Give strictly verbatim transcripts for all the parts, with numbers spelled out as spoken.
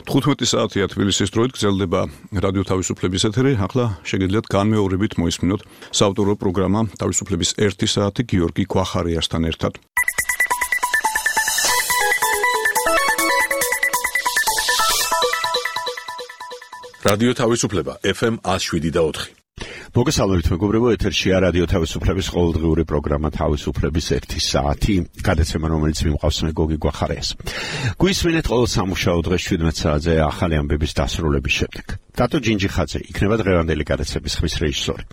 თხუთმეტი საათია თბილისის დროით გრძელდება რადიო თავისუფლების ეთერი. ახლა შეგიძლიათ განმეორებით მოისმინოთ საავტორო პროგრამა თავისუფლების ერთი საათი გიორგი გვახარიასთან ერთად. რადიო თავისუფლება ეფ ემ ათს შვიდი და ოთხი. მოგესალმებით მეგობრებო, ეთერშია რადიო თავისუფლების ყოველდღიური პროგრამა თავისუფლების ერთი საათი, გადაცემა რომელიც მიმყავს მე გოგი გვახარიას. გვისმინეთ ყოველ სამუშაო დღეს შვიდმეტ საათზე ახალი ამბების დასრულების შემდეგ. დატო ჯინჯიხაძე იქნება დღევანდელი გადაცემის ხმის რეჟისორი.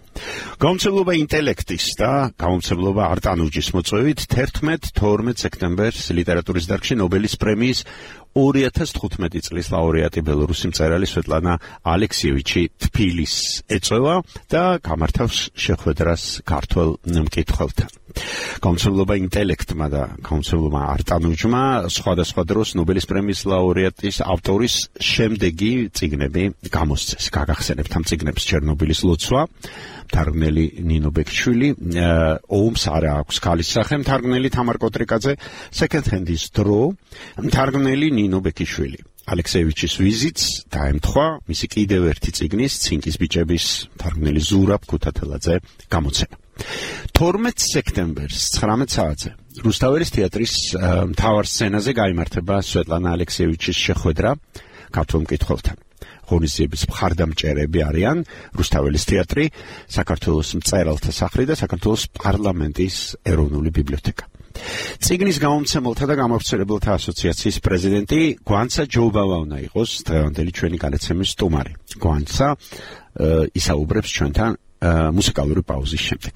გამომცემლობა ინტელექტის და გამომცემლობა არტანუჯის მოწვევით თერთმეტ თორმეტ სექტემბერს ლიტერატურის დარგში ნობელის პრემიის ორი ათას თხუთმეტი წლის ლაურეატი ბელორუსი მწერალი სვეტლანა ალექსიევიჩი თბილისს ეწევა და გამართავს შეხვედრას ქართველ მკითხველთან. გამომცემლობა ინტელექტმა და გამომცემლობა არტანუჯმა სხვადასხვა დროს ნობელის პრემიის ლაურეატის ავტორის შემდეგი წიგნები გამოსცეს. გაგახსენებთ ამ წიგნებს ჩერნობილის ლოცვა, მთარგმნელი ნინო ბექიშვილი, ომს არა აქვს ქალის სახე, მთარგმნელი თამარ კოტრიკაძე, second hand-ის დრო, მთარგმნელი ნინო ბექიშვილი. ალექსეევიჩის ვიზიტს დაემთხვა მისი კიდევ ერთი წიგნის ცინკის ბიჭების მთარგმნელი ზურაბ ქუთათელაძე გამოცემა. თორმეტ სექტემბერს ცხრამეტ საათზე რუსთაველის თეატრის მთავარ სცენაზე გაიმართება სვეტლანა ალექსეევიჩის შეხვედრა ქართველ მკითხველთან. ღონისძიების მხარდამჭერები არიან რუსთაველის თეატრი, საქართველოს მწერალთა სახლი და საქართველოს პარლამენტის ეროვნული ბიბლიოთეკა. წიგნის გამომცემელთა და გამავრცელებელთა ასოციაციის პრეზიდენტი გვანცა ჯობავა უნდა იყოს დღევანდელი ჩვენი გადაცემის სტუმარი. გვანცა ისაუბრებს ჩვენთან მუსიკალური პაუზის შემდეგ.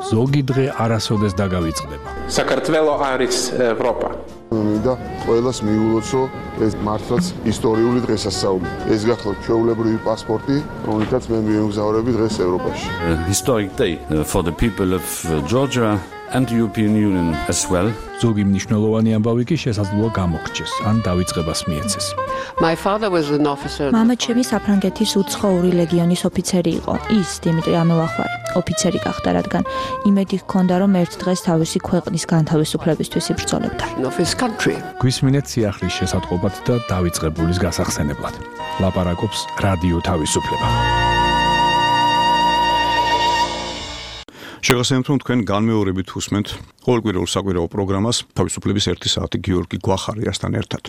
ზოგი დღე არასოდეს დაგავიწყდება. საქართველო არის ევროპა. მინდა ყველას მიულოცო ეს მართლაც ისტორიული დღესასწაული. ეს გახლავთ ჩვეულებრივი პასპორტი, რომელთაც მე მიემგზავრები დღეს ევროპაში. Historic day for the people of Georgia and the European Union as well. ზოგი მნიშვნელოვანი ამბავი კი შესაძლოა გამოგრჩეს, ან დავიწყებას მიეცეს. My father was an officer. მამა ჩემი საფრანგეთის უცხოური ლეგიონის ოფიცერი იყო. ის დიმიტრი ამელახვარი ოფიცერი გახდა, რადგან იმედი ჰქონდა, რომ ერთ დღეს თავისი ქვეყნის განთავისუფლებისთვის იბრძოლებდა. Of his country. გვისმინეთ სიახლის შესატყობად და დავიწყებულის გასახსენებლად. ლაპარაკობს რადიო თავისუფლება. შეგახსენებთ, რომ თქვენ განმეორებით უსმენთ ყოველკვირეულ საკვირაო პროგრამას თავისუფლების ერთი საათი გიორგი გვახარიასთან ერთად.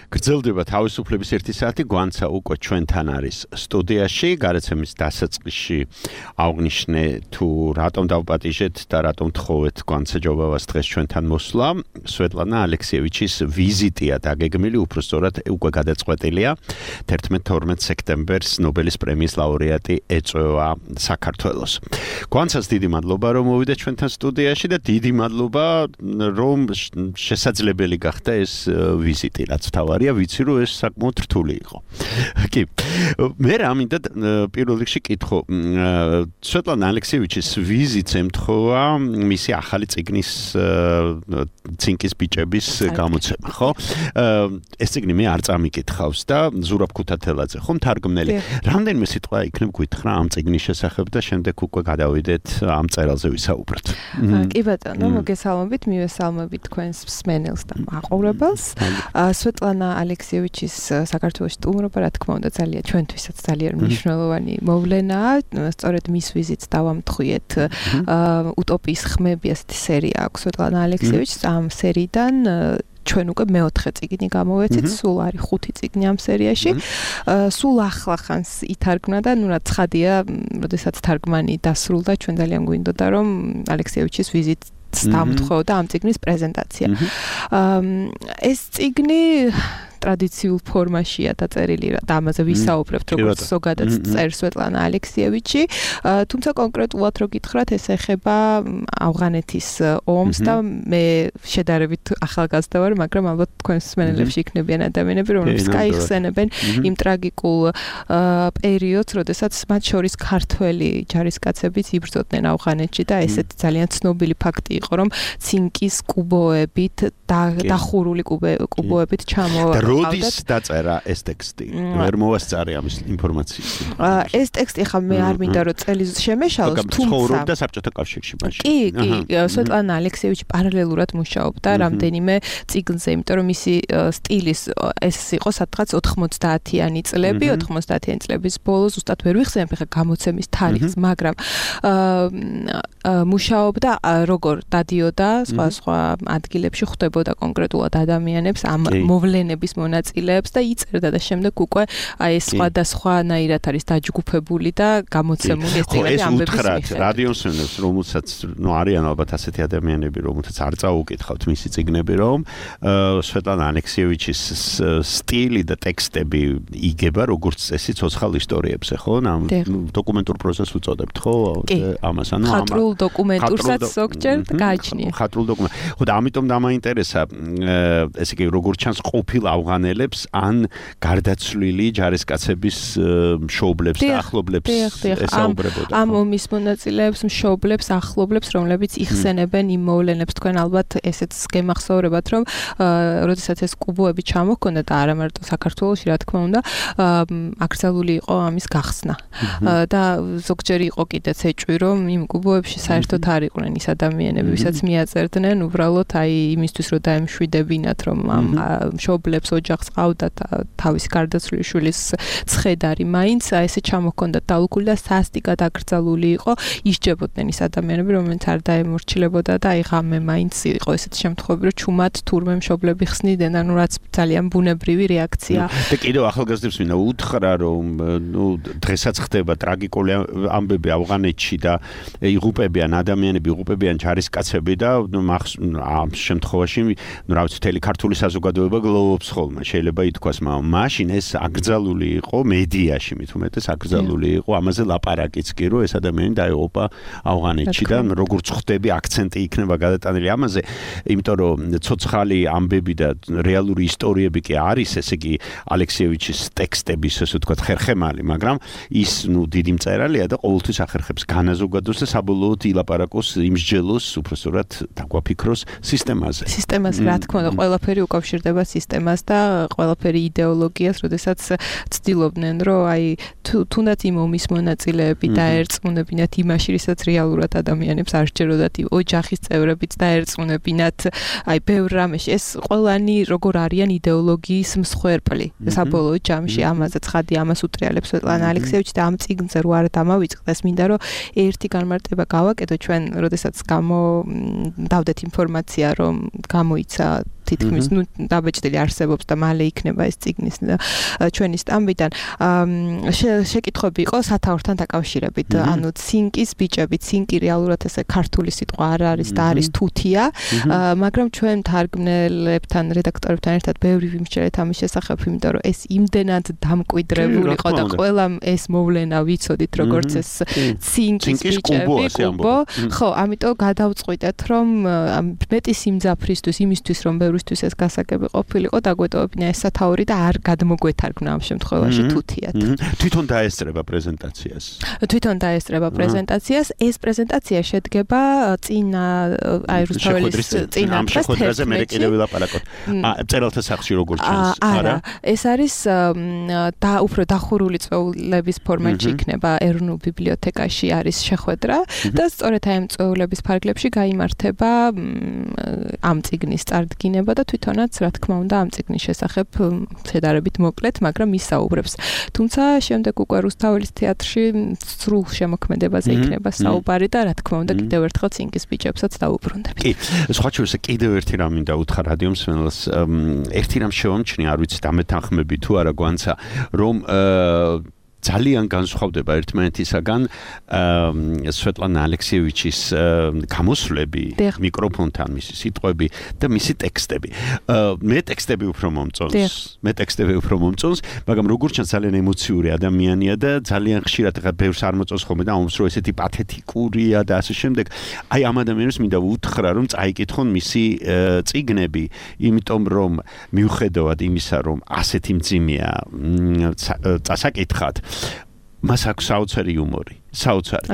გრძელდება თავისუფლების ერთი საათი, გვანცა უკვე ჩვენთან არის სტუდიაში, გადაცემის დასაწყისში აღნიშნე თუ რატომ დავპატიჟეთ და რატომ თხოვეთ გვანცა ჯობავას დღეს ჩვენთან მოსვლა. სვეტლანა ალექსიევიჩის ვიზიტია დაგეგმილი, უბრალოდ უკვე გადაწყვეტილია. თერთმეტ თორმეტ სექტემბერს ნობელის პრემიის ლაურეატი ეწევა საქართველოს. გვანცას დიდი მადლობა, რომ მოვიდა ჩვენთან სტუდიაში და დიდი მადლობა, რომ შესაძლებელი გახდა ეს ვიზიტი, რაც თავარია, ვიცი, რომ ეს საკმაოდ რთული იყო. კი. მე რა მინდა პირველ რიგში კითხო, სვეტლანა ალექსიევიჩის ვიზიტს ემთხოვა მისი ახალი წიგნის ცინკის ბიჭების გამოცემა, ხო? ეს წიგნი მე არ წამიკითხავს და ზურაბ ქუთათელაძე, ხო, მთარგმნელი. რამდენიმე სიტყვა იქნებ გითხრა ამ წიგნის შესახებ და შემდეგ უკვე გადავიდეთ ამ წერილზე ვისაუბროთ. კი ბატონო, მოგესალმებით, მივესალმებით თქვენს მსმენელს და მაყურებელს. სვეტლანა ალექსიევიჩის საქართველოს სტუმრობა, რა თქმა უნდა, ძალიან ჩვენთვისაც ძალიან მნიშვნელოვანი მოვლენაა. სწორედ მის ვიზიტს დავამთხვიეთ. უტოპიის ხმები ასეთი სერია აქვს სვეტლანა ალექსიევიჩს. ამ სერიიდან ჩვენ უკვე მეოთხე წიგნი გამოვეცით, სულ არის ხუთი წიგნი ამ სერიაში. სულ ახლახანს ითარგმნა და ნუ რა ცხადია, როდესაც თარგმანი დასრულდა, ჩვენ ძალიან გვინდოდა რომ ალექსიევიჩის ვიზიტს დამთხოვდა ამ წიგნის პრეზენტაცია. ეს წიგნი ტრადიციულ ფორმაშია დაწერილი და ამაზე ვისაუბრებთ, როგორც ზოგადად წერს სვეტლანა ალექსიევიჩი. თუმცა კონკრეტულად რო გითხრათ, ეს ეხება ავღანეთის ომს და მე შედარებით ახალგაზრდა ვარ, მაგრამ ალბათ თქვენს მსმენელებში იქნებიან ადამიანები, რომლებიც გაიხსენებენ იმ ტრაგიკულ პერიოდს, როდესაც მათ შორის ქართველი ჯარისკაცებიც იბრძოდნენ ავღანეთში და ესეთი ძალიან ცნობილი ფაქტი იყო, რომ ცინკის კუბოებით და დახურული კუბოებით ჩამო როდის დაწერა ეს ტექსტი? ვერ მოვასწარე ამის ინფორმაციის. ეს ტექსტი ხა მე არ მინდა რომ წელის შემეშალოს, თუმცა ცხოვრობდა საბჭოთა კავშირში მაშინ. კი, კი, სვეტლანა ალექსიევიჩი პარალელურად მუშაობდა რამდენიმე წიგნზე, იმიტომ რომ მისი სტილის ეს იყო სადღაც ოთხმოცდაათიანი წლები, ოთხმოცდაათიანი წლების ბოლოს ზუსტად ვერ ვიხსენებ ხა გამოცემის თარიღს, მაგრამ მუშაობდა როგორ დადიოდა სხვა სხვა ადგილებში, ხვდებოდა კონკრეტულად ადამიანებს, ამ მოვლენების მონაწილეებს და იწერდა და შემდეგ უკვე აი ეს სხვადასხვანაირად არის დაჯგუფებული და გამოცემული ეს წიგნი ამბების მიხედვით. რადიოსმენელს, რომელსაც ნუ არიან ალბათ ასეთი ადამიანები, რომელთაც არ წაუკითხავთ მისი წიგნები, რომ სვეტლანა ალექსიევიჩის სტილი და ტექსტები იგება როგორც წესი ცოცხალ ისტორიებზე, ხო? ამ დოკუმენტურ პროზას უწოდებთ, ხო? ამას ანუ ხატრულ დოკუმენტურსაც ზოგჯერ გააჩნია. ხატრულ დოკუმენტ. ხო და ამიტომ დამაინტერესა ესე იგი როგორც ჩანს ყოფილ ავღანელებს ან გარდაცვლილი ჯარისკაცების მშობლებს და ახლობლებს ესაუბრებოდა. ამ ომის მონაწილეებს, მშობლებს, ახლობლებს, რომლებიც იხსენებენ იმ მოვლენებს, თქვენ ალბათ ესეც გემახსოვრებათ, რომ როდესაც ეს კუბოები ჩამოჰქონდა და არა მარტო საქართველოში, რა თქმა უნდა, აკრძალული იყო ამის გახსნა. და ზოგჯერ იყო კიდეც ეჭვი, რომ იმ კუბოებში საერთოდ არ იყვნენ ის ადამიანები, ვისაც მიაწერდნენ, უბრალოდ აი იმისთვის რომ დაემშვიდებინათ, რომ ამ მშობლებს ოჯახს ყავდათ თავისი გარდაცვლილი შვილის ცხედარი, მაინც ესე ჩამოჰქონდა დალუქული და სასტიკად აკრძალული იყო, ისჯებოდნენ ის ადამიანები, რომელთაც არ დაემორჩილებოდა და აი ღამე მაინც იყო ესეთი შემთხვევები, რომ ჩუმად თურმე მშობლები ხსნიდნენ, ანუ რაც ძალიან ბუნებრივი რეაქცია. და კიდევ ახალგაზრდებს მინდა უთხრა, რომ ნუ დღესაც ხდება ტრაგიკული ამბები ავღანეთში და იღუპებიან ადამიანები, იღუპებიან ჯარისკაცები და ნუ ამ შემთხვევაში ნუ რა ვიცი, მთელი ქართული საზოგადოება გლოვობს ხოლმე. შეიძლება ითქვას, მაგრამ მაშინ ეს აკრძალული იყო მედიაში, მით უმეტეს აკრძალული იყო, ამაზე ლაპარაკიც კი, რომ ეს ადამიანი დაეღუპა ავღანეთში და როგორც ხვდები, აქცენტი იქნება გადატანილი ამაზე, იმიტომ რომ ცოცხალი ამბები და რეალური ისტორიები კი არის, ესე იგი ალექსიევიჩის ტექსტების, ესე ვთქვათ, ხერხემალი, მაგრამ ის ნუ დიდი მწერალია და ყოველთვის ახერხებს განაზოგადოს და საბოლოოდ ილაპარაკოს, იმსჯელოს, უბრალოდ დაგვაფიქროს სისტემაზე. სისტემაზე, რა თქმა უნდა, ყველაფერი უკავშირდება სისტემას და ყველაფერი იდეოლოგიას, როდესაც ცდილობდნენ, რომ აი თუნდაც იმ ომის მონაწილეები დაერწმუნებინათ იმაში, რასაც რეალურად ადამიანებს არ სჯეროდათ, ოჯახის წევრებიც დაერწმუნებინათ, აი ბევრ რამეში ეს ყველანი როგორ არიან იდეოლოგიის მსხვერპლი. საბოლოო ჯამში ამაზე ცხადი ამას უტრიალებს სვეტლანა ალექსიევიჩი და ამ წიგნზე რო არა დამავიწყდეს, მინდა რომ ერთი განმარტება გავაკეთო ჩვენ, როდესაც გამოდავდეთ ინფორმაცია, რომ გამოიცა თითქმის ნუ დაბეჭდილი არსებობს და მალე იქნება ეს წიგნის ჩვენი სტამბიდან შეკითხვები იყო სათაურთან დაკავშირებით, ანუ ცინკის ბიჭები, ცინკი რეალურად ესე ქართული სიტყვა არ არის და არის თუთია, მაგრამ ჩვენ თარგმნელებთან, რედაქტორებთან ერთად ბევრი ვიმსჯერეთ ამის შესახებ, იმიტომ რომ ეს იმდენად დამკვიდრებული იყო და ყველამ ეს მოვლენა ვიცოდით, როგორც ეს ცინკის ბიჭები, კუბო, ხო, ამიტომ გადავწყვიტეთ, რომ მეტი სიმძაფრისთვის, იმისთვის რომ ბევრისთვის ეს გასაგები ყოფილიყო, დაგვეტოვებინა ეს სათაური და არ გადმოგვეთარგმნა ამ შემთხვევაში თუთიად. თვითონ დაესწრება პრეზენტაციას. თვითონ დაესწრება პრეზენტაციას. ეს პრეზენტაცია შედგება წინა აი რუსთაველის წინა ამ შეხვედრაზე მე კიდევ ვილაპარაკოთ. წერალთა სახში როგორც ჩანს, არა? ეს არის და უფრო დახურული წვეულების ფორმატში იქნება ეროვნულ ბიბლიოთეკაში არის შეხვედრა და სწორედ აი ამ წვეულების ფარგლებში გაიმართება ამ წიგნის წარდგინება და თვითონაც რა თქმა უნდა ამ წიგნის შესახებ შედარებით მოკლედ, მაგრამ ის საუბრებს. თუმცა შემდეგ უკვე რუსთაველის თეატრში სრულ შემოქმედებაზე იქნება საუბარი და რა თქმა უნდა კიდევ ერთხელ ცინკის ბიჭებსაც დაუბრუნდებით. კი, სხვა შევსე კიდევ ერთი რამ მინდა უთხრა რადიომსმენელს, ერთი რამ შევამჩნია, არ ვიცი დამეთანხმები თუ არა გვანცა, რომ ძალიან განსხვავდება ერთმანეთისაგან სვეტლანა ალექსიევიჩის გამოსვლები მიკროფონთან, მისი სიტყვები და მისი ტექსტები. მე ტექსტები უფრო მომწონს. მე ტექსტები უფრო მომწონს, მაგრამ როგორც ჩანს ძალიან ემოციური ადამიანია და ძალიან ხშირად ხა ბევრს არ მოწონს ხოლმე და ომს რო ესეთი პათეტიკურია და ასე შემდეგ. აი ამ ადამიანებს მინდა უთხრა, რომ წაიკითხონ მისი წიგნები, იმიტომ რომ მიუხედავად იმისა, რომ ასეთი მძიმეა წასაკითხად, მას აქვს საოცარი იუმორი. საოცარი.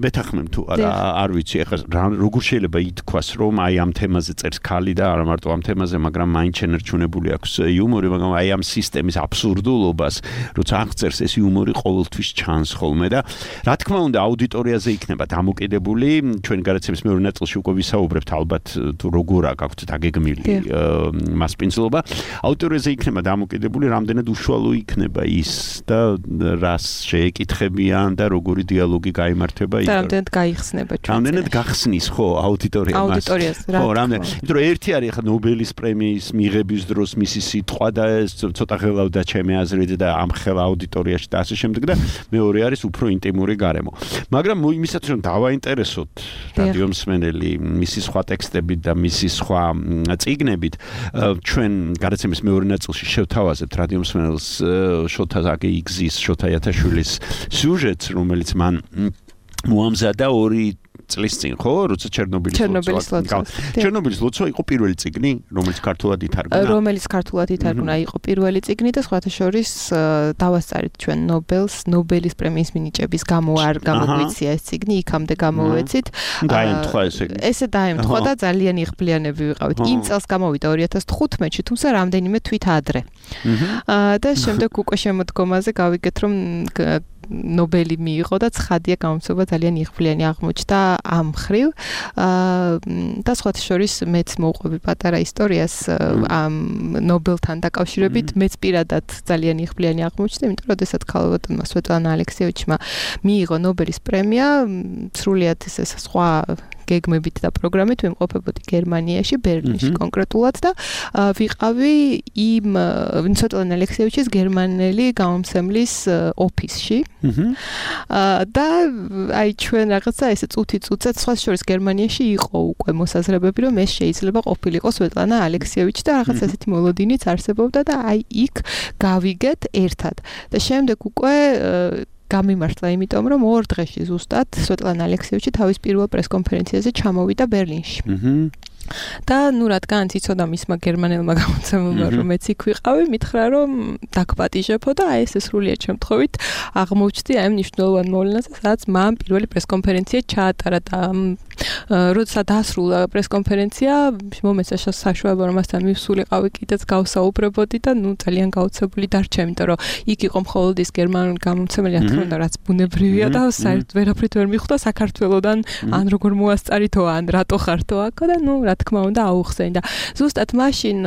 მეთახმեմ თუ არა, არ ვიცი, ეხლა როგორ შეიძლება ითქვას, რომ აი ამ თემაზე წერს ქალი და არა მარტო ამ თემაზე, მაგრამ მაინც შენერჩუნებული აქვს იუმორი, მაგრამ აი ამ სისტემის აბსურდულობას, როცა აღწერს ეს იუმორი ყოველთვის ჩანს ხოლმე და რა თქმა უნდა აუდიტორიაზე იქნება დამოკიდებული, ჩვენ გადაცემის მეორე ნაწილში უკვე ვისაუბრებთ ალბათ თუ როგორ აქვს დაგეგმილი მასპინძლობა, აუდიტორიაზე იქნება დამოკიდებული, რამდენად უშუალო იქნება ის და რას შეეკითხებიან და როგორი დიალოგი გაიმართება იქ. და რამდენად გაიხსნება ჩვენ. რამდენად გახსნის ხო აუდიტორია მას. აუდიტორიას რა. ხო, რამდენად. იმიტომ რომ ერთი არის ხა ნობელის პრემიის მიღების დროს მისი სიტყვა და ეს ცოტა ხელავდა ჩემი აზრით და ამ ხელ აუდიტორიაში და ასე შემდეგ და მეორე არის უფრო ინტიმური გარემო. მაგრამ იმისაც რომ დავაინტერესოთ რადიო მსმენელი მისი სხვა ტექსტებით და მისი სხვა წიგნებით, ჩვენ გადაცემის მეორე ნაწილში შევთავაზებთ რადიო მსმენელს შოთა ზაგეიგზის, შოთა იათაშვილის სიუჟეტს, რომელიც მან მოამზადა ორი წლის წინ, ხო, როცა ჩერნობილის ლოცვა. ჩერნობილის ლოცვა იყო პირველი წიგნი, რომელიც ქართულად ითარგმნა. რომელიც ქართულად ითარგმნა, იყო პირველი წიგნი და სხვათა შორის დავასწარით ჩვენ ნობელს, ნობელის პრემიის მინიჭების გამო არ გამოგვიცია ეს წიგნი, იქამდე გამოვეცით. დაემთხვა ესე. ესე დაემთხვა და ძალიან იღბლიანები ვიყავით. იმ წელს გამოვიდა ორი ათას თხუთმეტში, თუმცა რამდენიმე თვით ადრე. და შემდეგ უკვე შემოდგომაზე გავიგეთ, რომ ნობელი მიიღო და ცხადია გამოცობა ძალიან იღბლიანი აღმოჩნდა ამ ხრივ და სხვათა შორის მეც მოვყვები პატარა ისტორიას ამ ნობელთან დაკავშირებით მეც პირადად ძალიან იღბლიანი აღმოჩნდა, იმიტომ რომ შესაძ ქალბატონმა სვეტლანა ალექსიევიჩმა მიიღო ნობელის პრემია, სრულიად ეს სხვა გეგმებით და პროგრამით ვიმყოფებოდი გერმანიაში, ბერლინში კონკრეტულად და ვიყავი იმ სვეტლანა ალექსიევიჩის გერმანელი გამომცემლის ოფისში. და აი ჩვენ რაღაცა ესე წუთი წუთად სხვა შორის გერმანიაში იყო უკვე მოსაზრებები, რომ ეს შეიძლება ყოფილიყო სვეტლანა ალექსიევიჩი და რაღაცა ესეთი მოლოდინიც არსებობდა და აი იქ გავიგეთ ერთად. და შემდეგ უკვე გამიმართლა, იმიტომ რომ ორ დღეში ზუსტად სვეტლანა ალექსიევიჩი თავის პირველ პრესკონფერენციაზე ჩამოვიდა ბერლინში. და ნუ რადგან იცოდა მისმა გერმანელმა გამოცემულმა რომ მეც იქ ვიყავი, მითხრა რომ დაგპატიჟებო და აი ეს სრულიად შემთხვევით აღმოჩნდი აი მნიშვნელოვან მოვლენაზე, სადაც მან პირველი პრესკონფერენცია ჩაატარა და როცა დასრულა პრესკონფერენცია, მომეცა საშუალება რომ მასთან მივსულიყავი კიდეც გავსაუბრებოდი და ნუ ძალიან გაოცებული დარჩა, იმიტომ რომ იქ იყო მხოლოდ ის გერმანული გამომცემელი, რა თქმა უნდა, რაც ბუნებრივია და საერთოდ ვერაფრით ვერ მიხვდა საქართველოდან, ან როგორ მოასწარითო, ან რატო ხართო აქ და ნუ რა თქმა უნდა აუხსენი და ზუსტად მაშინ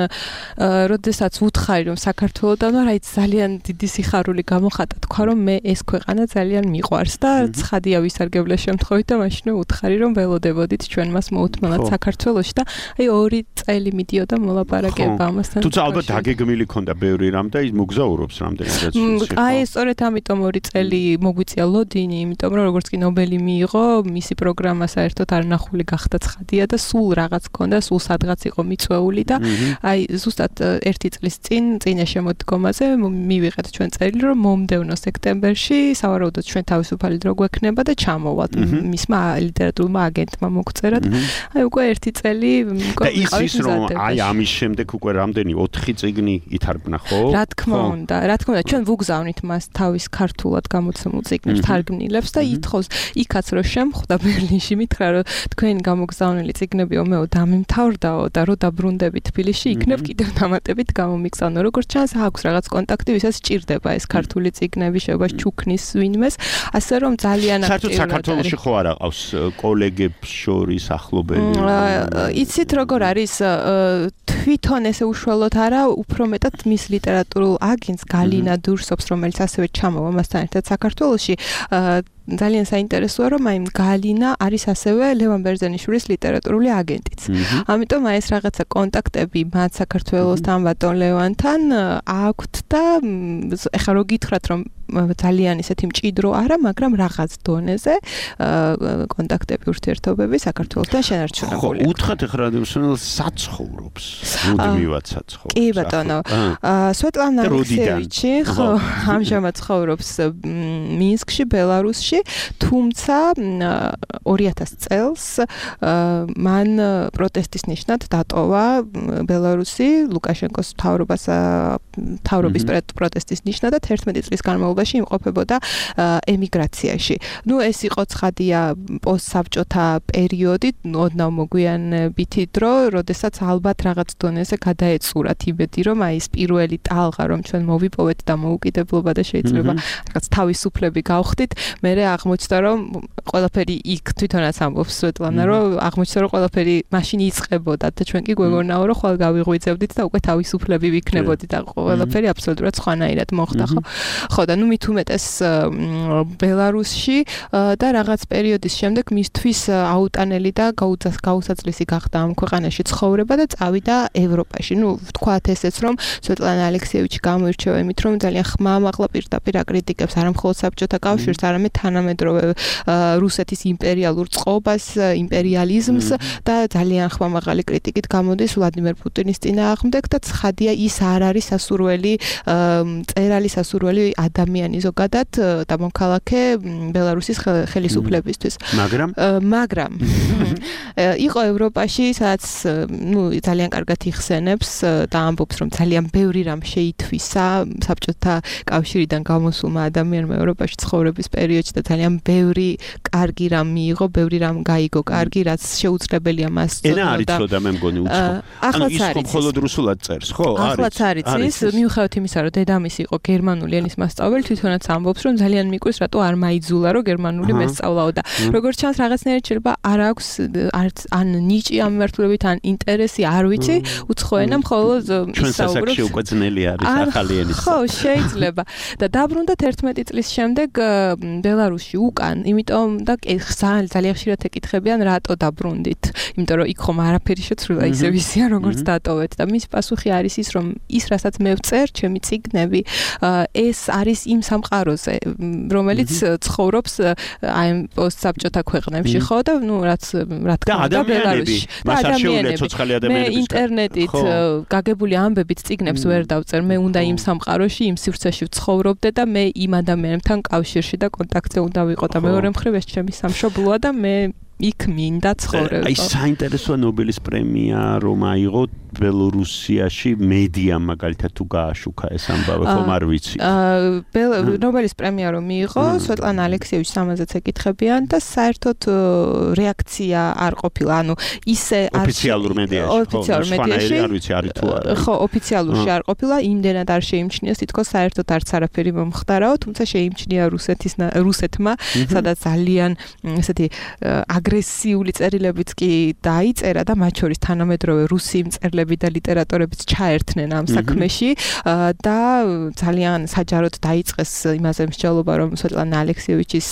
როდესაც ვუთხარი რომ საქართველოდან ვარ, აი ძალიან დიდი სიხარული გამოხატა, თქვა რომ მე ეს ქვეყანა ძალიან მიყვარს და ცხადია ვისარგებლე შემთხვევით და მაშინვე ვუთხარი რომ ველოდებოდით ჩვენ მას მოუთმელად საქართველოში და აი ორი წელი მიდიოდა მოლაპარაკება ამასთან. თუმცა ალბათ დაგეგმილი ქონდა ბევრი რამ და ის მოგზაურობს რამდენადაც. აი სწორედ ამიტომ ორი წელი მოგვიწია ლოდინი, იმიტომ რომ როგორც კი ნობელი მიიღო, მისი პროგრამა საერთოდ არნახული გახდა ცხადია და სულ რაღაც ქონდა, სულ სადღაც იყო მიწვეული და აი ზუსტად ერთი წლის წინ წინა შემოდგომაზე მივიღეთ ჩვენ წერილი, რომ მომდევნო სექტემბერში სავარაუდოდ ჩვენ თავისუფალი დრო გვექნება და ჩამოვალთ. მისმა ლიტერატურულმა აგენტმა მოგწერა და აი უკვე ერთი წელი და ის რომ აი ამის შემდეგ უკვე რამდენი ოთხი წიგნი ითარგმნა, ხო? რა თქმა უნდა, რა თქმა უნდა, ჩვენ ვუგზავნით მას თავის ქართულად გამოცემულ წიგნებს, თარგმნილებს და ითხოვს იქაც რომ შემხვდა ბერლინში, მითხრა რომ თქვენი გამოგზავნილი წიგნები ომეო დამიმთავრდაო და რო დაბრუნდები თბილისში, იქნებ კიდევ დამატებით გამომიგზავნო. როგორც ჩანს, აქვს რაღაც კონტაქტი, ვისაც სჭირდება ეს ქართული წიგნები, შეობას ჩუქნის ვინმეს, ასე რომ ძალიან აქტიურად. საერთოდ საქართველოში ხო არ აყავს კოლეგებს შორის ახლობელი? იცით როგორ არის, თვითონ ესე უშუალოდ არა, უფრო მეტად მის ლიტერატურულ აგენტს გალინა დურსობს, რომელიც ასევე ჩამოვა მასთან ერთად საქართველოში. ძალიან საინტერესოა, რომ აი გალინა არის ასევე ლევან ბერძენიშვილის ლიტერატურული აგენტიც. ამიტომ აი ეს რაღაცა კონტაქტები მათ საქართველოსთან, ბატონ ლევანთან აქვთ და ეხლა რო გითხრათ, რომ ძალიან ისეთი მჭიდრო არა, მაგრამ რაღაც დონეზე კონტაქტები, ურთიერთობები საქართველოსთან შენარჩუნებულია. ხო, უთხრათ ეხლა რადიოსმენელს საცხოვრობს. მუდმივად საცხოვრობს. კი ბატონო. სვეტლანა ალექსიევიჩი ხო ამჟამად ცხოვრობს მინსკში, ბელარუსში. ევროპაში, თუმცა ორი ათასი წელს მან პროტესტის ნიშნად დატოვა ბელარუსი ლუკაშენკოს მთავრობას მთავრობის პროტესტის ნიშნად და თერთმეტი წლის განმავლობაში იმყოფებოდა ემიგრაციაში. ნუ ეს იყო ცხადია პოსტსაბჭოთა პერიოდი, ოდნავ მოგვიანებით დრო, როდესაც ალბათ რაღაც დონეზე გადაეწურათ იმედი, რომ აი ეს პირველი ტალღა, რომ ჩვენ მოვიპოვეთ და მოუკიდებლობა და შეიძლება რაღაც თავისუფლები გავხდით, მერე აღმოჩნდა, რომ ყველაფერი იქ თვითონაც ამბობს სვეტლანა, რომ აღმოჩნდა, რომ ყველაფერი მაშინ იწყებოდა და ჩვენ კი გვეგონაო, რომ ხვალ გავიღვიძებდით და უკვე თავისუფლები ვიქნებოდით და ყველაფერი აბსოლუტურად სხვანაირად მოხდა, ხო? ხო და ნუ მით უმეტეს ბელარუსში და რაღაც პერიოდის შემდეგ მისთვის აუტანელი და გაუსაცლისი გახდა ამ ქვეყანაში ცხოვრება და წავიდა ევროპაში. ნუ ვთქვათ ესეც, რომ სვეტლანა ალექსიევიჩი გამოირჩევა იმით, რომ ძალიან ხმამაღლა პირდაპირ აკრიტიკებს არა მხოლოდ საბჭოთა კავშირს, არამედ თანამედროვე რუსეთის იმპერიალურ წყობას, იმპერიალიზმს და ძალიან ხმამაღალი კრიტიკით გამოდის ვლადიმერ პუტინის წინააღმდეგ და ცხადია ის არ არის სასურველი წერალი სასურველი ადამიანი ზოგადად და მოქალაქე ბელარუსის ხელისუფლებისთვის. მაგრამ მაგრამ იყო ევროპაში, სადაც ნუ ძალიან კარგად იხსენებს და ამბობს, რომ ძალიან ბევრი რამ შეითვისა საბჭოთა კავშირიდან გამოსულმა ადამიანმა ევროპაში ცხოვრების პერიოდში და ძალიან ბევრი კარგი რამ მიიღო, ბევრი რამ გაიგო კარგი, რაც შეუძლებელია მას წოდნოდა. ენა არ იცოდა მე მგონი უცხო. ანუ ის მხოლოდ რუსულად წერს, ხო? არის. ახლაც არის ის, მიუხედავად იმისა, რომ დედამისი იყო გერმანული ენის მასწავლებელი, თვითონაც ამბობს, რომ ძალიან მიკვირს, რატო არ მაიძულა, რომ გერმანული მესწავლაო და როგორც ჩანს რაღაცნაირად შეიძლება არ აქვს არც ან ნიჭი ამ მიმართულებით, ან ინტერესი, არ ვიცი, უცხო ენა მხოლოდ ისაუბრებს. ჩვენ სასაკში უკვე ძნელი არის ახალი ენის. ხო, შეიძლება. და დაბრუნდა თერთმეტი წლის შემდეგ ბელარუსში უკან, იმიტომ და ძალიან ხშირად ეკითხებიან, რატო დაბრუნდით? იმიტომ რომ იქ ხომ არაფერი შეცვლილა, ისე ვისია, როგორც დატოვეთ და მის პასუხი არის ის, რომ ის, რასაც მე ვწერ, ჩემი წიგნები, ეს არის იმ სამყაროზე, რომელიც ცხოვრობს აი პოსტსაბჭოთა ქვეყნებში, ხო და ნუ რაც რა თქმა უნდა ბელარუსში და ადამიანები ცოცხალი ადამიანები მე ინტერნეტით გაგებული ამბებით წიგნებს ვერ დავწერ, მე უნდა იმ სამყაროში, იმ სივრცეში ვცხოვრობდე და მე იმ ადამიანებთან კავშირში და კონტაქტზე უნდა ვიყო და მეორე მხრივ ეს ჩემი სამშობლოა და მე იქ მინდა ცხოვრება. აი საინტერესოა ნობელის პრემია რომ აიღო ბელორუსიაში მედია მაგალითად თუ გააშუქა ეს ამბავი ხომ არ ვიცი. აა ნობელის პრემია რომ მიიღო, სვეტლანა ალექსიევიჩს ამაზეც ეკითხებიან და საერთოდ რეაქცია არ ყოფილა. ანუ ისე ოფიციალურ მედიაში, ოფიციალურ მედიაში არ ვიცი არის თუ არა. ხო, ოფიციალურში არ ყოფილა, იმდენად არ შეიმჩნიეს, თითქოს საერთოდ არც არაფერი მომხდარაო, თუმცა შეიმჩნია რუსეთის რუსეთმა, სადაც ძალიან ესეთი აგრესიული წერილებიც კი დაიწერა და მათ შორის თანამედროვე რუსი მწერლები და ლიტერატორებიც ჩაერთნენ ამ საქმეში და ძალიან საჯაროდ დაიწყეს იმაზე მსჯელობა, რომ სვეტლანა ალექსიევიჩის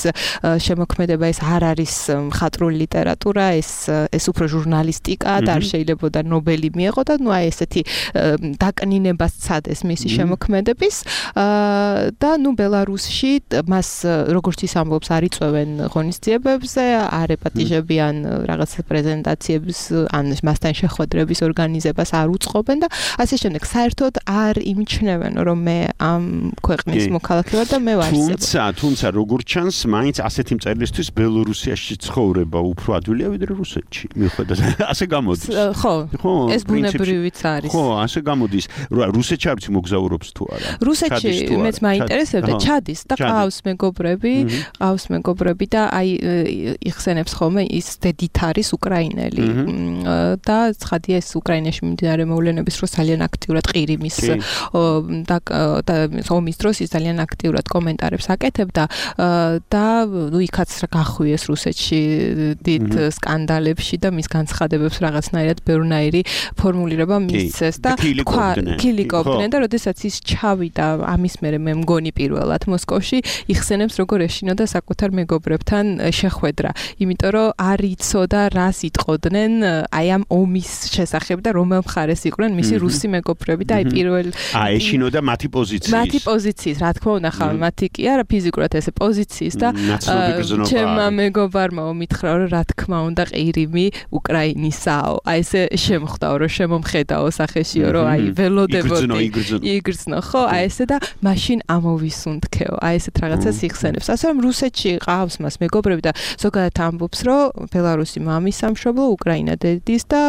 შემოქმედება ეს არ არის მხატვრული ლიტერატურა, ეს ეს უფრო ჟურნალისტიკა და არ შეიძლებოდა ნობელი მიეღო და ნუ აი ესეთი დაკნინებას ცადეს მისი შემოქმედების და ნუ ბელარუსში მას როგორც ის ამბობს არ იწვევენ ღონისძიებებზე, არ ეპატიჟებიან რაღაც პრეზენტაციების ან მასთან შეხვედრების ორგანიზებას არ უწყობენ და ასე შემდეგ. საერთოდ არ იმჩნევენ, რომ მე ამ ქვეყნის მოქალაქე ვარ და მე ვარ ისე. თუმცა, თუმცა როგორც ჩანს, მაინც ასეთი მწერლისთვის ბელორუსიაში ცხოვრება უფრო ადვილია ვიდრე რუსეთში. მიუხედავად ასე გამოდის. ხო, ეს ბუნებრივიც არის. ხო, ასე გამოდის. რუსეთში არ ვიცი მოგზაურობს თუ არა. რუსეთში მეც მაინტერესებდა, ჩადის და ყავს მეგობრები, ყავს მეგობრები და აი იხსენებს ხოლმე ის დედით არის უკრაინელი და ცხადია ეს უკრაინაში მიმდინარე მოვლენების დროს ძალიან აქტიურად ყირიმის და ომის დროს ის ძალიან აქტიურად კომენტარებს აკეთებდა და ნუ იქაც გახვიეს რუსეთში დიდ სკანდალებში და მის განცხადებებს რაღაცნაირად ბევრნაირი ფორმულირება მისცეს და კილიკობდნენ და როდესაც ის ჩავიდა ამის მერე მე მგონი პირველად მოსკოვში იხსენებს როგორ ეშინოდა საკუთარ მეგობრებთან შეხვედრა, იმიტომ რომ რომ არ იცოდა რას იტყოდნენ აი ამ ომის შესახებ და რომელ მხარეს იყვნენ მისი რუსი მეგობრები და აი პირველ აა ეშინოდა მათი პოზიციის მათი პოზიციის რა თქმა უნდა ხა მათი კი არა ფიზიკურად ესე პოზიციის და ჩემმა მეგობარმა მითხრა რომ რა თქმა უნდა ყირიმი უკრაინისაო აი ესე შემხვდაო რომ შემომხედაო სახეშიო რომ აი ველოდებოდი იგრძნო ხო აი ესე და მაშინ ამოვისუნთქეო აი ესეთ რაღაცას იხსენებს ასე რომ რუსეთში ყავს მას მეგობრები და ზოგადად ამბობს რომ ბელარუსი მამის სამშობლო უკრაინა დედის და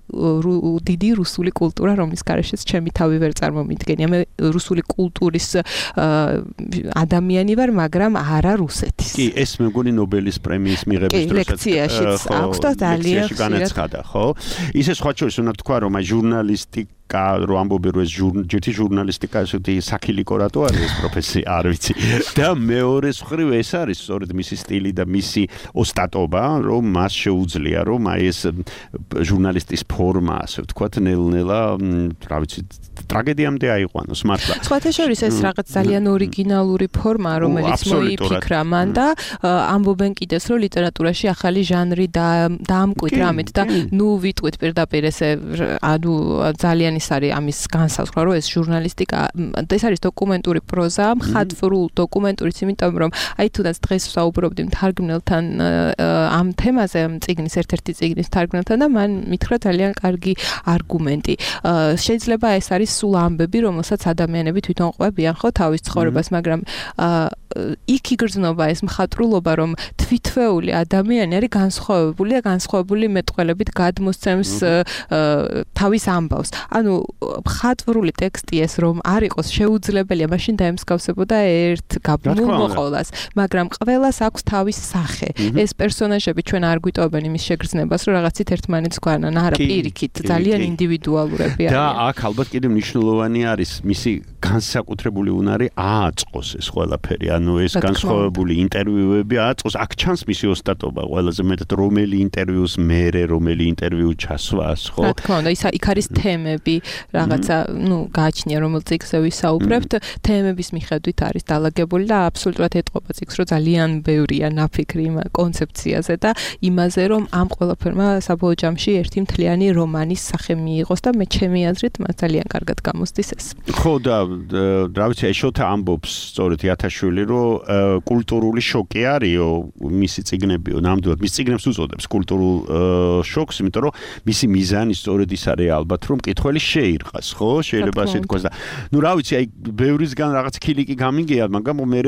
დიდი რუსული კულტურა რომლის გარეშეც ჩემი თავი ვერ წარმომიდგენია მე რუსული კულტურის ადამიანი ვარ მაგრამ არა რუსეთის კი ეს მეგონი ნობელის პრემიის მიღების დროსაც ლექციაშიც აქვს და ძალიან განაცხადა ხო ისე სხვა შორის უნდა თქვა რომ აი ჟურნალისტიკა რო ამბობენ რომ ეს ჯერთი ჟურნალისტიკა ესეთი საქილიკო რატო არის ეს პროფესია არ ვიცი და მეორე მხრივ ეს არის სწორედ მისი სტილი და მისი ოსტატობა რომ მას შეუძლია რომ აი ეს ჟურნალისტის ფორმა ასე ვთქვათ ნელ-ნელა რა ვიცი ტრაგედიამდე აიყვანოს მართლა სხვათა შორის ეს რაღაც ძალიან ორიგინალური ფორმა რომელიც მოიფიქრა მან და ამბობენ კიდეც რომ ლიტერატურაში ახალი ჟანრი დაამკვიდრა რამით და ნუ ვიტყვით პირდაპირ ესე ანუ ძალიან ის არის ამის განსაზღვრა რომ ეს ჟურნალისტიკა ეს არის დოკუმენტური პროზა მხატვრულ დოკუმენტურიც იმიტომ რომ აი თუნდაც დღეს ვსაუბრობდი მთარგმნელთან ამ თემაზე წიგნის ერთ-ერთი წიგნის მთარგმნელთან და მან მითხრა ძალიან კარგი არგუმენტი შეიძლება ეს არის სულ ამბები რომელსაც ადამიანები თვითონ ყვებიან ხო თავის ცხოვრებას მაგრამ იქ იგრძნობა ეს მხატვრულობა რომ თვითვეული ადამიანი არის განსხვავებული და განსხვავებული მეტყველებით გადმოსცემს თავის ამბავს ანუ მხატვრული ტექსტი ეს რომ არ იყოს შეუძლებელია მაშინ დაემსგავსებოდა ერთ გაბმულ მოყოლას მაგრამ ყველას აქვს თავის სახე ეს პერსონაჟები ჩვენ არ გვიტოვებენ იმის შეგრძნებას რომ რაღაცით ერთმანეთს გვანან არა პირიქით ძალიან ინდივიდუალურები არიან და აქ ალბათ კიდევ მნიშვნელოვანი არის მისი განსაკუთრებული უნარი ააწყოს ეს ყველაფერი ანუ ეს განსხვავებული ინტერვიუები ააწყოს აქ ჩანს მისი ოსტატობა ყველაზე მეტად რომელი ინტერვიუს მერე რომელი ინტერვიუ ჩასვას ხო რა თქმა უნდა ის იქ არის თემები რაღაცა ნუ გააჩნია რომელ წიგნზე ვისაუბრებთ თემების მიხედვით არის დალაგებული და აბსოლუტურად ეტყობა წიგნს რომ ძალიან ბევრია ნაფიქრი იმ კონცეფციაზე და იმაზე რომ ამ ყველაფერმა საბოლოო ჯამში ერთი მთლიანი რომანის სახე მიიღოს და მე ჩემი აზრით მას ძალიან კარგად გამოსდის ეს ხო და რა ვიცი ეშოთა ამბობს სწორედ იათაშვილი რომ კულტურული შოკი არისო მისი წიგნებიო ნამდვილად მის წიგნებს უწოდებს კულტურულ შოკს იმიტომ რომ მისი მიზანი სწორედ ის არის ალბათ რომ მკითხველი შეირყას ხო შეიძლება ასე თქვას და ნუ რა ვიცი აი ბევრისგან რაღაც ქილიკი გამიგია მაგრამ მე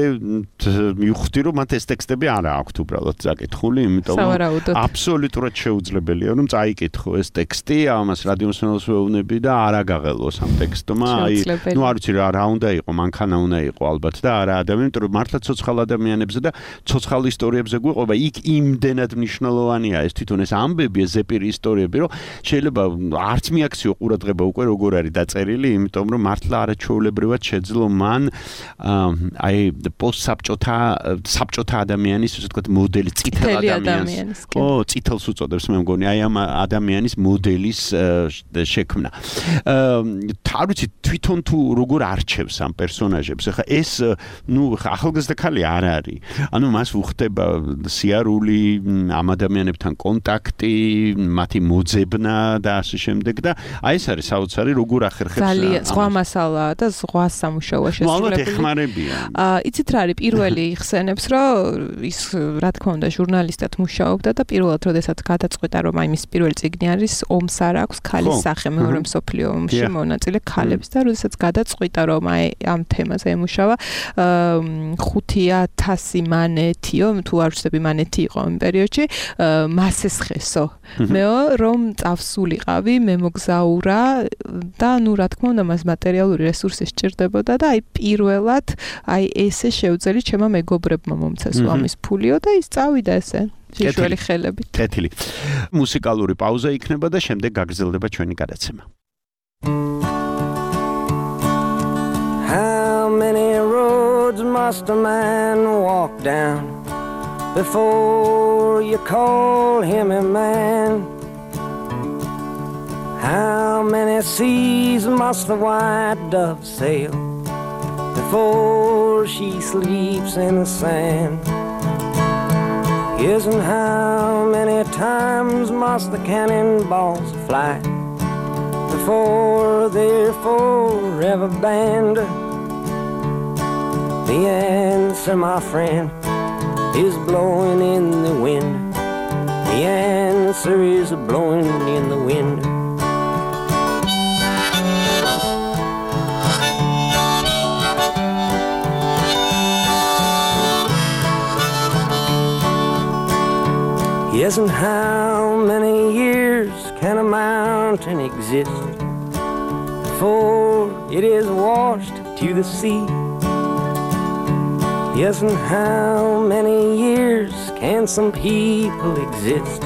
მივხვდი რომ მათ ეს ტექსტები არ აქვთ უბრალოდ წაკითხული იმიტომ რომ აბსოლუტურად შეუძლებელია რომ წაიკითხო ეს ტექსტი ამას რადიომსმენელს ვეუბნები და არ აგაღელოს ამ ტექსტმა აი ნუ არ ვიცი რა უნდა იყო მანქანა უნდა იყო ალბათ და არა ადამიანი იმიტომ რომ მართლა ცოცხალ ადამიანებზე და ცოცხალ ისტორიებზე გვიყვება იქ იმდენად მნიშვნელოვანია ეს თვითონ ეს ამბები ეს ზეპირი ისტორიები რომ შეიძლება არც მიაქციო ყურადღება უკვე როგორ არის დაწერილი იმიტომ რომ მართლა არაჩვეულებრივად შეძლო მან აი პოსტსაბჭოთა საბჭოთა ადამიანის ასე ვთქვათ მოდელი წითელ ადამიანის ო წითელს უწოდებს მე მგონი აი ამ ადამიანის მოდელის შექმნა არ ვიცი თვითონ თუ როგორ არჩევს ამ პერსონაჟებს ახლა ეს ნუ ახალგაზრდა ქალი არ არის ანუ მას უხდება სიარული ამ ადამიანებთან კონტაქტი მათი მოძებნა და ასე შემდეგ და აი ეს არის საოცარი როგორ ახერხებს ძალიან სხვა მასალაა და სხვა სამუშაოა შესრულებული აა იცით რა არის პირველი იხსენებს რომ ის რა თქმა უნდა ჟურნალისტად მუშაობდა და პირველად როდესაც გადაწყვეტა რომ აი მის პირველი წიგნი არის ომს არ აქვს ქალის სახე მეორე მსოფლიო ომში მონაწილე ქალებს და როდესაც გადაწყვიტა რომ აი ამ თემაზე ემუშავა ხუთი ათასი მანეთიო თუ არ ვცდები მანეთი იყო იმ პერიოდში მასეს ხესო მეო რომ წავსულიყავი მე მოგზაურა და ნუ რა თქმა უნდა მას მატერიალური რესურსი სჭირდებოდა და აი პირველად აი ესე შეუძელი ჩემმა მეგობრებმა მომცეს ამის ფულიო და ის წავიდა ესე შიშველი ხელებით კეთილი მუსიკალური პაუზა იქნება და შემდეგ გაგრძელდება ჩვენი გადაცემა How many roads must a man walk down before you call him a man? How many seas must the white dove sail before she sleeps in the sand? Yes, and how many times must the cannonballs fly before they're forever banned? The answer, my friend, is blowing in the wind. The answer is blowing in the wind. Yes, and how many years can a mountain exist before it is washed to the sea? Yes, and how many years can some people exist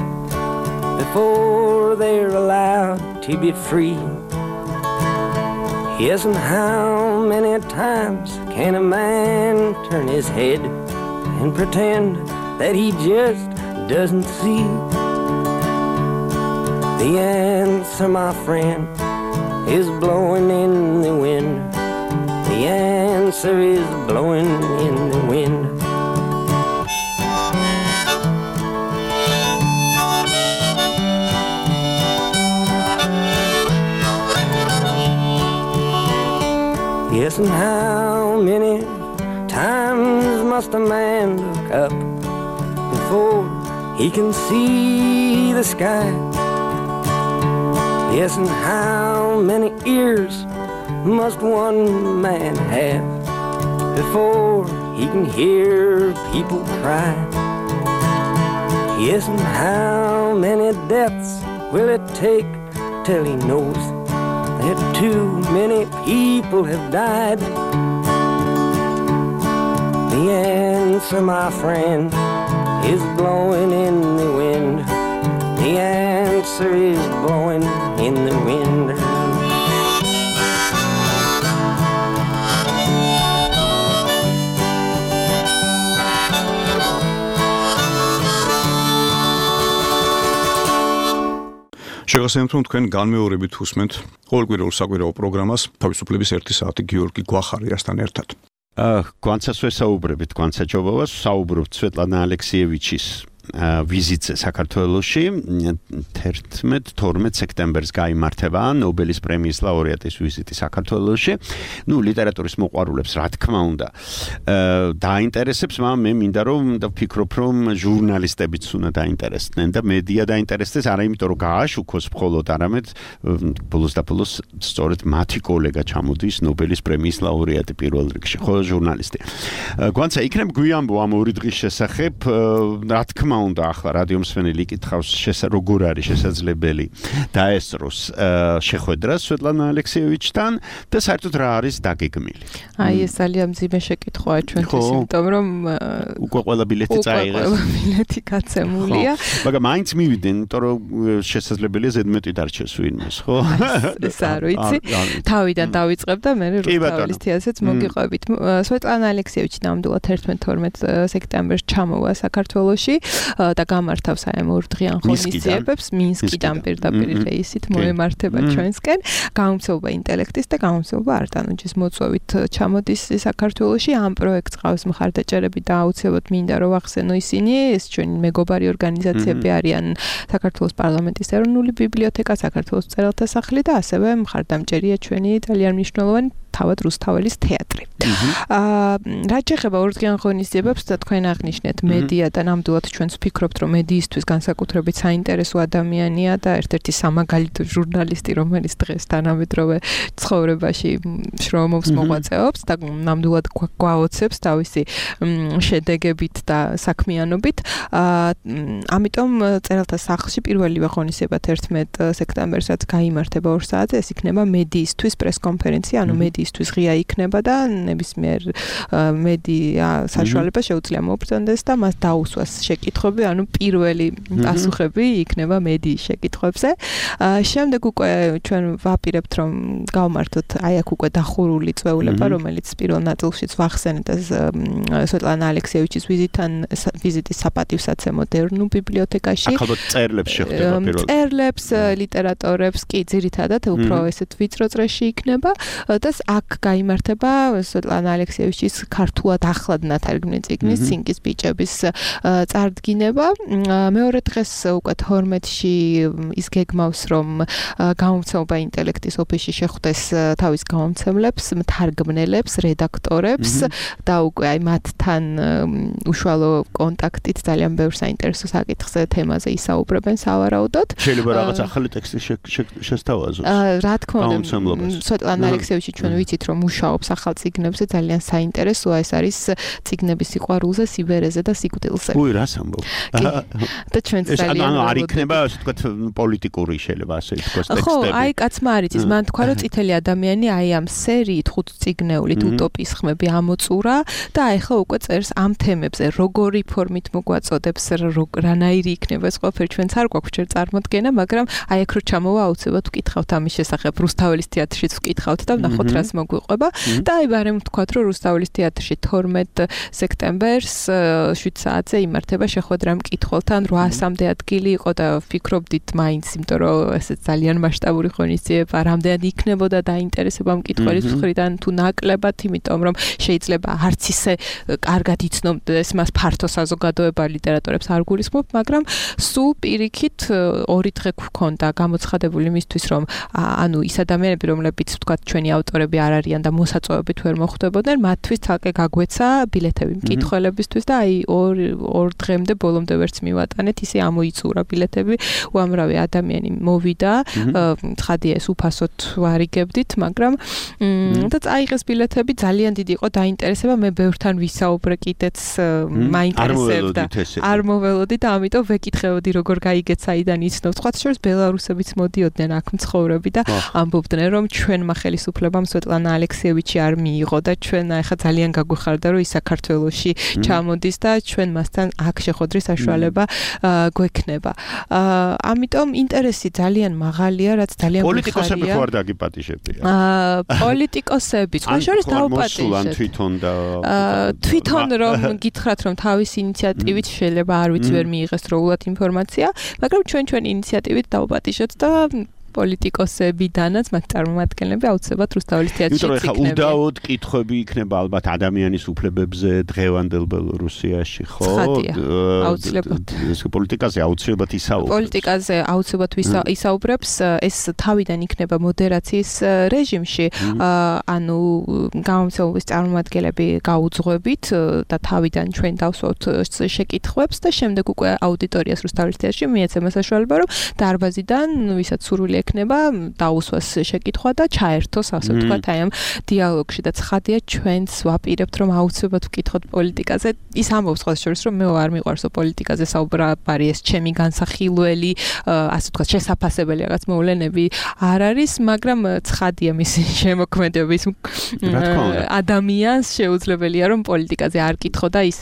before they're allowed to be free? Yes, and how many times can a man turn his head and pretend that he just doesn't see? The answer, my friend, is blowing in the wind. The answer is blowing in the wind. Yes, and how many times must a man look up before he can see the sky? Yes, and how many ears must one man have before he can hear people cry? Yes, and how many deaths will it take till he knows that too many people have died? The answer, my friend, is blowing in the wind. The answer is blowing in the wind. შეგახსენებთ, რომ თქვენ განმეორებით უსმენთ ყოველკვირეულ საკვირაო პროგრამას თავისუფლების ერთი საათი გიორგი გვახარიასთან ერთად. გვანცას ვესაუბრებით, გვანცაჯობავას საუბრობთ სვეტლანა ალექსიევიჩის ვიზიტზე საქართველოში თერთმეტ თორმეტ სექტემბერს გაიმართება ნობელის პრემიის ლაურეატის ვიზიტი საქართველოში. ნუ ლიტერატურის მოყვარულებს რა თქმა უნდა დაინტერესებს, მაგრამ მე მინდა რომ და ვფიქრობ რომ ჟურნალისტებიც უნდა დაინტერესდნენ და მედია დაინტერესდეს, არა იმიტომ რომ გააშუქოს მხოლოდ, არამედ ბოლოს და ბოლოს სწორედ მათი კოლეგა ჩამოდის ნობელის პრემიის ლაურეატი პირველ რიგში, ხო ჟურნალისტი. გვანცა იქნებ გვიამბო ამ ორი დღის შესახებ, რა თქმა უნდა ახლა რადიო მსმენელი იკითხავს როგორ არის შესაძლებელი დაესწროს შეხვედრა სვეტლანა ალექსიევიჩთან და საერთოდ რა არის დაგეგმილი. აი ეს ძალიან მძიმე შეკითხვაა ჩვენთვის, იმიტომ რომ უკვე ყველა ბილეთი წაიღეს. ყველა ბილეთი გაცემულია. მაგრამ მაინც მივიდნენ, იმიტომ რომ შესაძლებელია ზედმეტი დარჩეს ვინმეს, ხო? ეს არ ვიცი. თავიდან დავიწყებ და მე რუსთაველის თეატრზეც მოგიყვებით. სვეტლანა ალექსიევიჩი ნამდვილად ერთმეტ თორმეტ სექტემბერს ჩამოვა საქართველოში და გამართავს აი ამ ორდღიან ღონისძიებებს მინსკიდან პირდაპირ რეისით მოემართება ჩვენსკენ. გამომცემლობა ინტელექტის და გამომცემლობა არტანუჯის მოწვევით ჩამოდის საქართველოში. ამ პროექტს ყავს მხარდაჭერები და აუცილებლად მინდა რომ ვახსენო ისინი, ეს ჩვენი მეგობარი ორგანიზაციები არიან საქართველოს პარლამენტის ეროვნული ბიბლიოთეკა, საქართველოს მწერალთა სახლი და ასევე მხარდამჭერია ჩვენი ძალიან მნიშვნელოვანი თავად რუსთაველის თეატრი. აა რაც შეეხება ორდღიან ღონისძიებებს და თქვენ აღნიშნეთ მედია და ნამდვილად ჩვენც ვფიქრობთ რომ მედიისთვის განსაკუთრებით საინტერესო ადამიანია და ერთ-ერთი სამაგალითო ჟურნალისტი რომელიც დღეს თანამედროვე ცხოვრებაში შრომობს მოღვაწეობს და ნამდვილად გვაოცებს თავისი შედეგებით და საქმიანობით. აა ამიტომ წერალთა სახლში პირველივე ღონისძიება თერთმეტ სექტემბერსაც გაიმართება ორ საათზე, ეს იქნება მედიისთვის პრესკონფერენცია, ანუ მედიისთვის ღია იქნება და ნებისმიერ მედია საშუალება შეუძლია მოუბრუნდეს და მას დაუსვას შეკითხვები, ანუ პირველი პასუხები იქნება მედიის შეკითხვებზე. შემდეგ უკვე ჩვენ ვაპირებთ რომ გავმართოთ აი აქ უკვე დახურული წვეულება, რომელიც პირველ ნაწილშიც ვახსენეთ და სვეტლანა ალექსიევიჩის ვიზიტთან ვიზიტის საპატივსაცემო ეროვნულ ბიბლიოთეკაში. ახალ წერლებს შეხვდება პირველად. წერლებს, ლიტერატორებს კი ძირითადად უფრო ესეთ ვიწრო წრეში იქნება და აქ გაიმართება სვეტლანა ალექსიევიჩის ქართულად ახლად ნათარგმნი წიგნის სინკის ბიჭების წარდგინება. მეორე დღეს უკვე თორმეტში ის გეგმავს, რომ გამომცემლობა ინტელექტის ოფისში შეხვდეს თავის გამომცემლებს, მთარგმნელებს, რედაქტორებს და უკვე აი მათთან უშუალო კონტაქტით ძალიან ბევრ საინტერესო საკითხზე თემაზე ისაუბრებენ სავარაუდოდ. შეიძლება რაღაც ახალი ტექსტი შესთავაზოს. რა თქმა უნდა, სვეტლანა ალექსიევიჩი ჩვენ ვიცით, რომ მუშაობს ახალ წიგნებზე, ძალიან საინტერესოა, ეს არის წიგნების სიყვარულზე, სიბერეზე და სიკვდილზე. უი, რას ამბობ? და ჩვენც ძალიან ანუ არ იქნება, ასე ვთქვათ, პოლიტიკური შეიძლება ასე ვთქვათ ტექსტები. ხო, აი კაცმა არ იცის, მან თქვა, რომ წითელი ადამიანი აი ამ სერიით ხუთ წიგნეულით უტოპიის ხმები ამოწურა და აი ხო უკვე წერს ამ თემებზე, როგორი ფორმით მოგვაწოდებს, რანაირი იქნება ეს ყველაფერი, ჩვენც არ გვაქვს ჯერ წარმოდგენა, მაგრამ აი აქ რო ჩამოვა აუცილებლად ვკითხავთ ამის შესახებ, რუსთაველის თეატრშიც ვკითხავთ და ვნახოთ რას მოგვიყვება და აი ბარემ ვთქვათ, რომ რუსთაველის თეატრში თორმეტ სექტემბერს შვიდ საათზე იმართება შეხვედრა მკითხველთან, რვასამდე ადგილი იყო და ვფიქრობდით მაინც, იმიტომ რომ ესე ძალიან მასშტაბური ღონისძიება, რამდენად იქნებოდა დაინტერესება მკითხველის მხრიდან თუ ნაკლებად, იმიტომ რომ შეიძლება არც ისე კარგად იცნობდეს მას ფართო საზოგადოება ლიტერატორებს არ გულისხმობ, მაგრამ სულ პირიქით ორი დღე გვქონდა გამოცხადებული იმისთვის, რომ ანუ ის ადამიანები, რომლებიც ვთქვათ ჩვენი ავტორები არ არიან და მოსაწვევებით ვერ მოხვდებოდნენ, მათთვის თალკე გაგვეცა ბილეთები მკითხველებისთვის და აი ორ ორ დღემდე ბოლომდე ვერც მივატანეთ, ისე ამოიწურა ბილეთები, უამრავი ადამიანი მოვიდა, ცხადია ეს უფასოდ ვარიგებდით, მაგრამ და წაიღეს ბილეთები, ძალიან დიდი იყო დაინტერესება, მე ბევრთან ვისაუბრე კიდეც მაინტერესებდა. არ მოველოდი და ამიტომ ვეკითხებოდი როგორ გაიგეთ საიდან იცნობ. სხვა შორის ბელარუსებიც მოდიოდნენ აქ მცხოვრები და ამბობდნენ რომ ჩვენმა ხელისუფლებამ სვეტლანა ალექსიევიჩი არ მიიღო და ჩვენ ახლა ძალიან გაგვიხარდა რომ ის საქართველოში ჩამოდის და ჩვენ მასთან აქ შეხვედრის საშუალება გვექნება. ამიტომ ინტერესი ძალიან მაღალია, რაც ძალიან პოლიტიკოსები ხო არ დაგიპატიჟებია? პოლიტიკოსები, სხვა შორის დაუპატიჟეთ. თვითონ და თვითონ რომ გითხრათ რომ თავის ინიციატივით შეიძლება არ ვიცი ვერ მიიღეს დროულად ინფორმაცია, მაგრამ ჩვენ ჩვენ ინიციატივით დაუპატიჟეთ და პოლიტიკოსებიდანაც მათ წარმომადგენლები აუცილებლად რუსთაველის თეატრში იქნება. იმიტომ რომ უდაოდ კითხვები იქნება ალბათ ადამიანის უფლებებზე დღევანდელ ბელორუსიაში, ხო? აუცილებლად. ეს პოლიტიკაზე აუცილებლად ისაუბრებს. პოლიტიკაზე აუცილებლად ისაუბრებს, ეს თავიდან იქნება მოდერაციის რეჟიმში, ანუ გამომცემლობის წარმომადგენლები გაუძღვებით და თავიდან ჩვენ დავსვათ შეკითხვებს და შემდეგ უკვე აუდიტორიას რუსთაველის თეატრში მიეცემა საშუალება, რომ დარბაზიდან ვისაც სურვილი ექნება დაუსვას შეკითხვა და ჩაერთოს, ასე ვთქვათ, აი ამ დიალოგში და ცხადია ჩვენც ვაპირებთ რომ აუცილებლად ვკითხოთ პოლიტიკაზე. ის ამბობს სხვა შორის რომ მე არ მიყვარსო პოლიტიკაზე საუბრობარი, ეს ჩემი განსახილველი, ასე ვთქვათ, შესაძაფასებელი რაღაც მოვლენები არ არის, მაგრამ ცხადია მისი შემოქმედების ადამიანს შეუძლებელია რომ პოლიტიკაზე არ კითხო და ის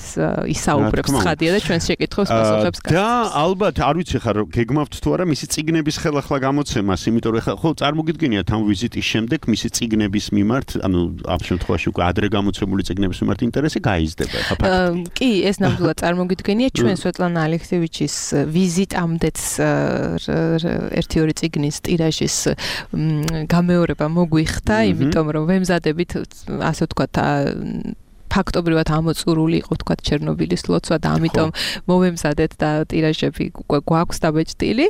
ისაუბრებს ცხადია და ჩვენს შეკითხვებს პასუხებს გასცემს. და ალბათ არ ვიცი ხარ გეგმავთ თუ არა მისი წიგნების ხელახლა გამოცემას, იმიტომ რომ ხო წარმოგიდგენიათ ამ ვიზიტის შემდეგ მისი წიგნების მიმართ, ანუ ამ შემთხვევაში უკვე ადრე გამოცემული წიგნების მიმართ ინტერესი გაიზრდება ხა ფაქტი. კი, ეს ნამდვილად წარმოგიდგენია ჩვენ სვეტლანა ალექსიევიჩის ვიზიტამდეც ერთი ორი წიგნის ტირაჟის გამეორება მოგვიხდა, იმიტომ რომ ვემზადებით, ასე ვთქვათ, ფაქტობრივად ამოწურული იყო თქვა ჩერნობილის ლოცვა და ამიტომ მოვემზადეთ და ტირაჟები უკვე გვაქვს დაბეჭდილი.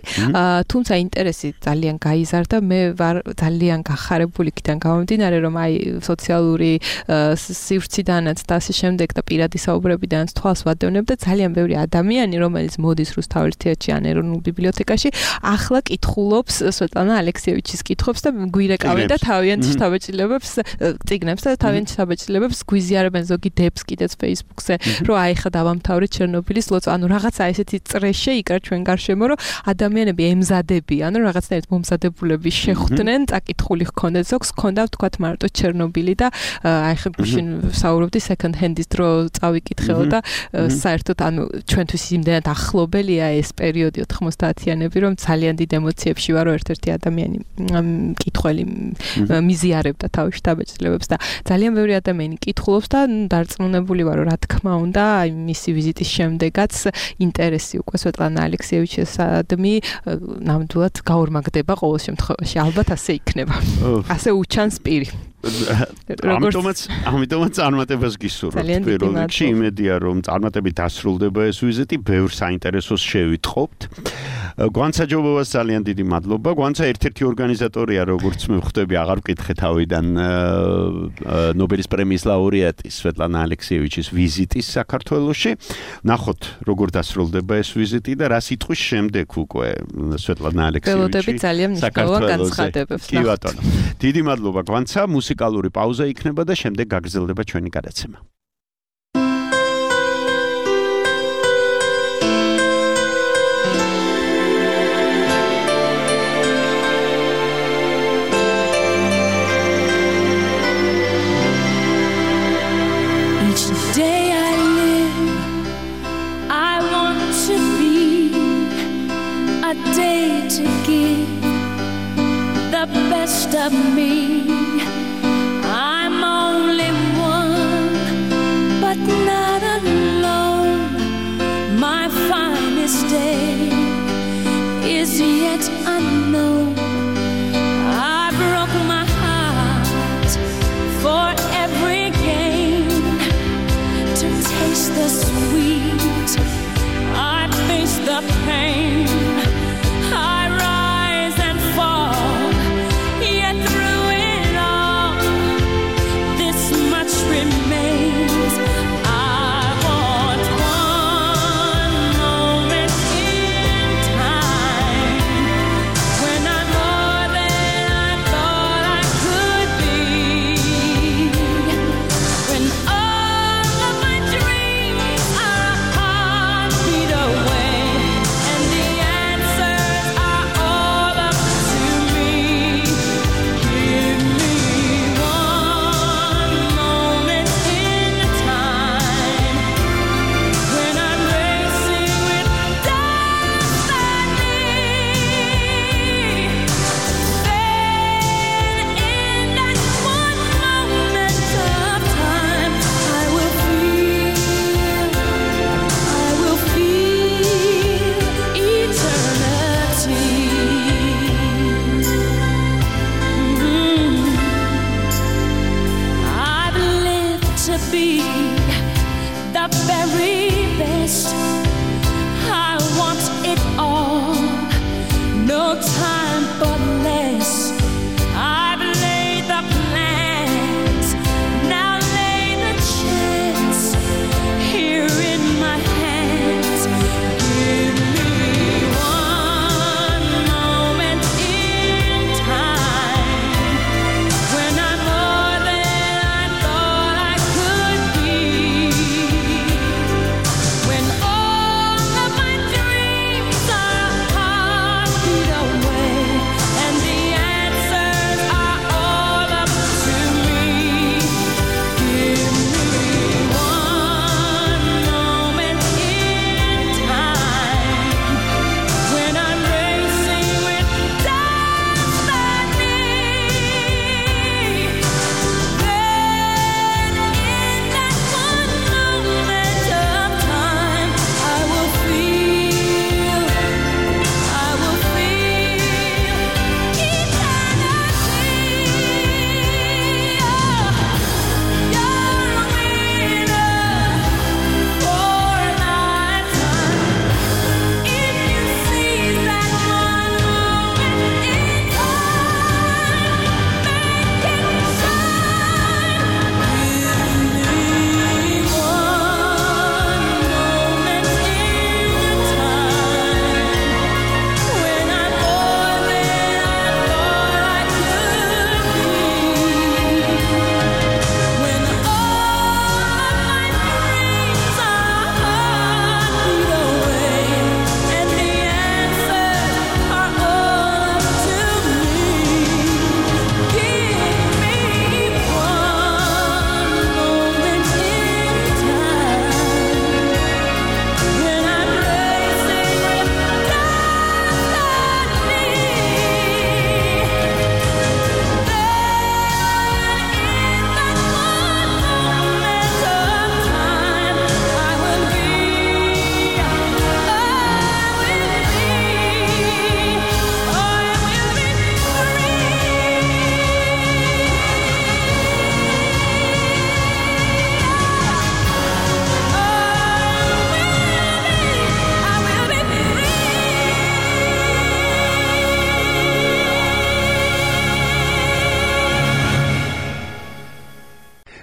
თუმცა ინტერესი ძალიან გაიზარდა, მე ვარ ძალიან გახარებული იქიდან გამომდინარე, რომ აი სოციალური სივრციდანაც და ასე შემდეგ და პირადი საუბრებიდანაც თვალს ვადევნებ და ძალიან ბევრი ადამიანი, რომელიც მოდის რუსთაველის თეატრში ან ეროვნულ ბიბლიოთეკაში, ახლა კითხულობს სვეტლანა ალექსიევიჩის კითხვებს და გვირეკავენ და თავიანთ შთაბეჭდილებებს წიგნებს და თავიანთ შთაბეჭდილებებს გვიზიარებენ ზოგი დებს კიდეც Facebook-ზე, რომ აი ხა დავამთავრეთ ჩერნობილის ლოცვა, ანუ რაღაცა ესეთი წრეშე იქრა ჩვენ გარშემო, რომ ადამიანები ემზადებიან, რომ რაღაცნაირად მომზადებულები შეხვდნენ, წაკითხული ჰქონდეთ, ზოგს ჰქონდა ვთქვათ მარტო ჩერნობილი და აი ხა გუშინ საუბრობდი second hand-ის დრო წავიკითხეო და საერთოდ ანუ ჩვენთვის იმდენად ახლობელია ეს პერიოდი ოთხმოცდაათიანები, რომ ძალიან დიდ ემოციებში ვარ, რომ ერთ-ერთი ადამიანი კითხველი მიზიარებდა თავის შთაბეჭდილებებს და ძალიან ბევრი ადამიანი კითხულობს და დარწმუნებული ვარ, რა თქმა უნდა, აი მისი ვიზიტის შემდეგაც ინტერესი უკვე სვეტლანა ალექსიევიჩისადმი ნამდვილად გაორმაგდება ყოველ შემთხვევაში. ალბათ ასე იქნება. ასე უჩანს პირი. ამიტომაც ამიტომაც წარმატებას გისურვებთ პირველ რიგში იმედია რომ წარმატებით დასრულდება ეს ვიზიტი ბევრ საინტერესოს შევიტყობთ გვანცაჯობობას ძალიან დიდი მადლობა გვანცა ერთ-ერთი ორგანიზატორია როგორც მე ვხვდები აღარ ვკითხე თავიდან ნობელის პრემიის ლაურეატი სვეტლანა ალექსიევიჩის ვიზიტის საქართველოში ნახოთ როგორ დასრულდება ეს ვიზიტი და რა სიტყვის შემდეგ უკვე სვეტლანა ალექსიევიჩი ძალიან მნიშვნელოვან განცხადებებს კი ბატონო დიდი მადლობა გვანცა მუსიკალური პაუზა იქნება და შემდეგ გაგრძელდება ჩვენი გადაცემა. Each day I live, I want to be a day to give the best of me. I'm only one, but not alone. My finest day is yet unknown. I broke my heart for every gain to taste the sweet. I face the pain. I rise and fall. Yet through it all, this much remains. I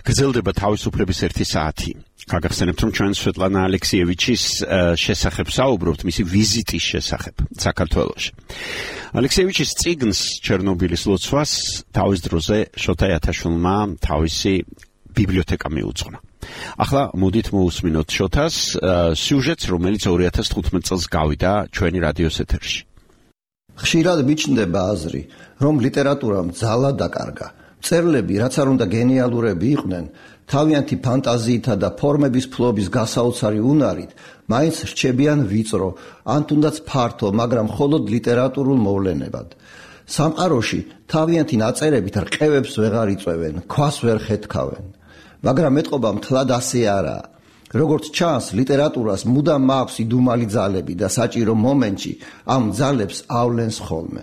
გრძელდება თავისუფლების ერთი საათი. გაგახსენებთ, რომ ჩვენ სვეტლანა ალექსიევიჩის შესახებ საუბრობთ, მისი ვიზიტის შესახებ საქართველოში. ალექსიევიჩის წიგნს ჩერნობილის ლოცვას თავის დროზე შოთა იათაშვილმა თავისი ბიბლიოთეკა მიუძღვნა. ახლა მოდით მოусმინოთ შოთას სიუჟეტს, რომელიც ორი ათას თხუთმეტ წელს გავიდა ჩვენი რადიოს ეთერში. ხშირად მიჩნდება აზრი, რომ ლიტერატურამ ძალა დაკარგა. მწერლები, რაც არ უნდა გენიალურები იყვნენ, თავიანთი ფანტაზიითა და ფორმების ფლობის გასაოცარი უნარით, მაინც რჩებიან ვიწრო, ან თუნდაც ფართო, მაგრამ მხოლოდ ლიტერატურულ მოვლენებად. სამყაროში თავიანთი ნაწერებით რყევებს ვეღარ იწვევენ, ქვას ვერ ხეთქავენ. მაგრამ ეტყობა მთლად ასე არაა. როგორც ჩანს, ლიტერატურას მუდამ მაქვს იდუმალი ძალები და საჭირო მომენტში ამ ძალებს ავლენს ხოლმე.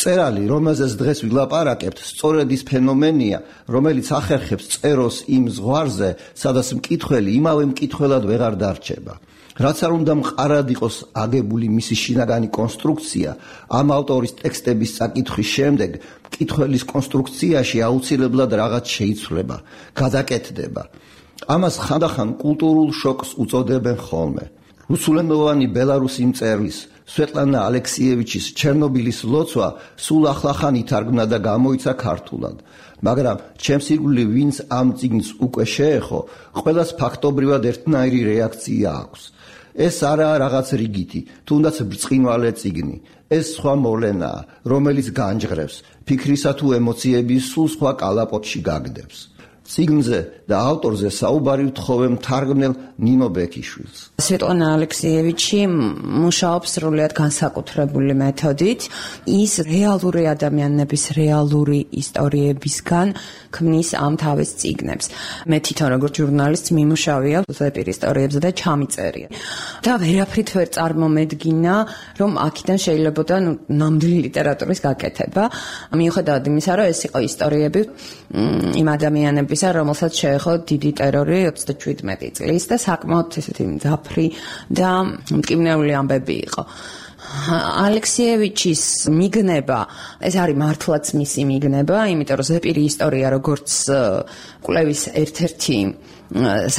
მწერალი, რომელზეც დღეს ვილაპარაკებთ, სწორედ ის ფენომენია, რომელიც ახერხებს წეროს იმ ზღვარზე, სადაც მკითხველი იმავე მკითხველად ვეღარ დარჩება. რაც არ უნდა მყარად იყოს აგებული მისი შინაგანი კონსტრუქცია, ამ ავტორის ტექსტების წაკითხვის შემდეგ მკითხველის კონსტრუქციაში აუცილებლად რაღაც შეიცვლება, გადაკეთდება. ამას ხანდახან კულტურულ შოკს უწოდებენ ხოლმე. რუსულენოვანი ბელარუსი მწერლის სვეტლანა ალექსიევიჩის ჩერნობილის ლოცვა სულ ახლახან ითარგმნა და გამოიცა ქართულად. მაგრამ ჩემს ირგვლივ ვინც ამ წიგნს უკვე შეეხო, ყველას ფაქტობრივად ერთნაირი რეაქცია აქვს. ეს არაა რაღაც რიგითი, თუნდაც ბრწყინვალე წიგნი. ეს სხვა მოვლენაა, რომელიც განჯღრებს, ფიქრისა თუ ემოციების სულ სხვა კალაპოტში გაგდებს. წიგნზე და ავტორზე საუბარი ვთხოვე მთარგმნელ ნინო ბექიშვილს. სვეტლანა ალექსიევიჩი მუშაობს სრულიად განსაკუთრებული მეთოდით. ის რეალური ადამიანების რეალური ისტორიებისგან ქმნის ამ თავის წიგნებს. მე თვითონ როგორც ჟურნალისტი მიმუშავია ზეპირ ისტორიებზე და ჩამიწერია. და ვერაფრით ვერ წარმომედგინა, რომ აქედან შეიძლება ნუ ნამდვილი ლიტერატურის გაკეთება. მიუხედავად იმისა, რომ ეს იყო ისტორიები იმ ადამიანების რომელსაც შეეხო დიდი ტერორი ოცდაშვიდმეტი წლის და საკმაოდ ესეთი მძაფრი და მტკივნეული ამბები იყო. ალექსიევიჩის მიგნება, ეს არის მართლაც მისი მიგნება, იმიტომ რომ ზეპირი ისტორია როგორც კვლევის ერთ-ერთი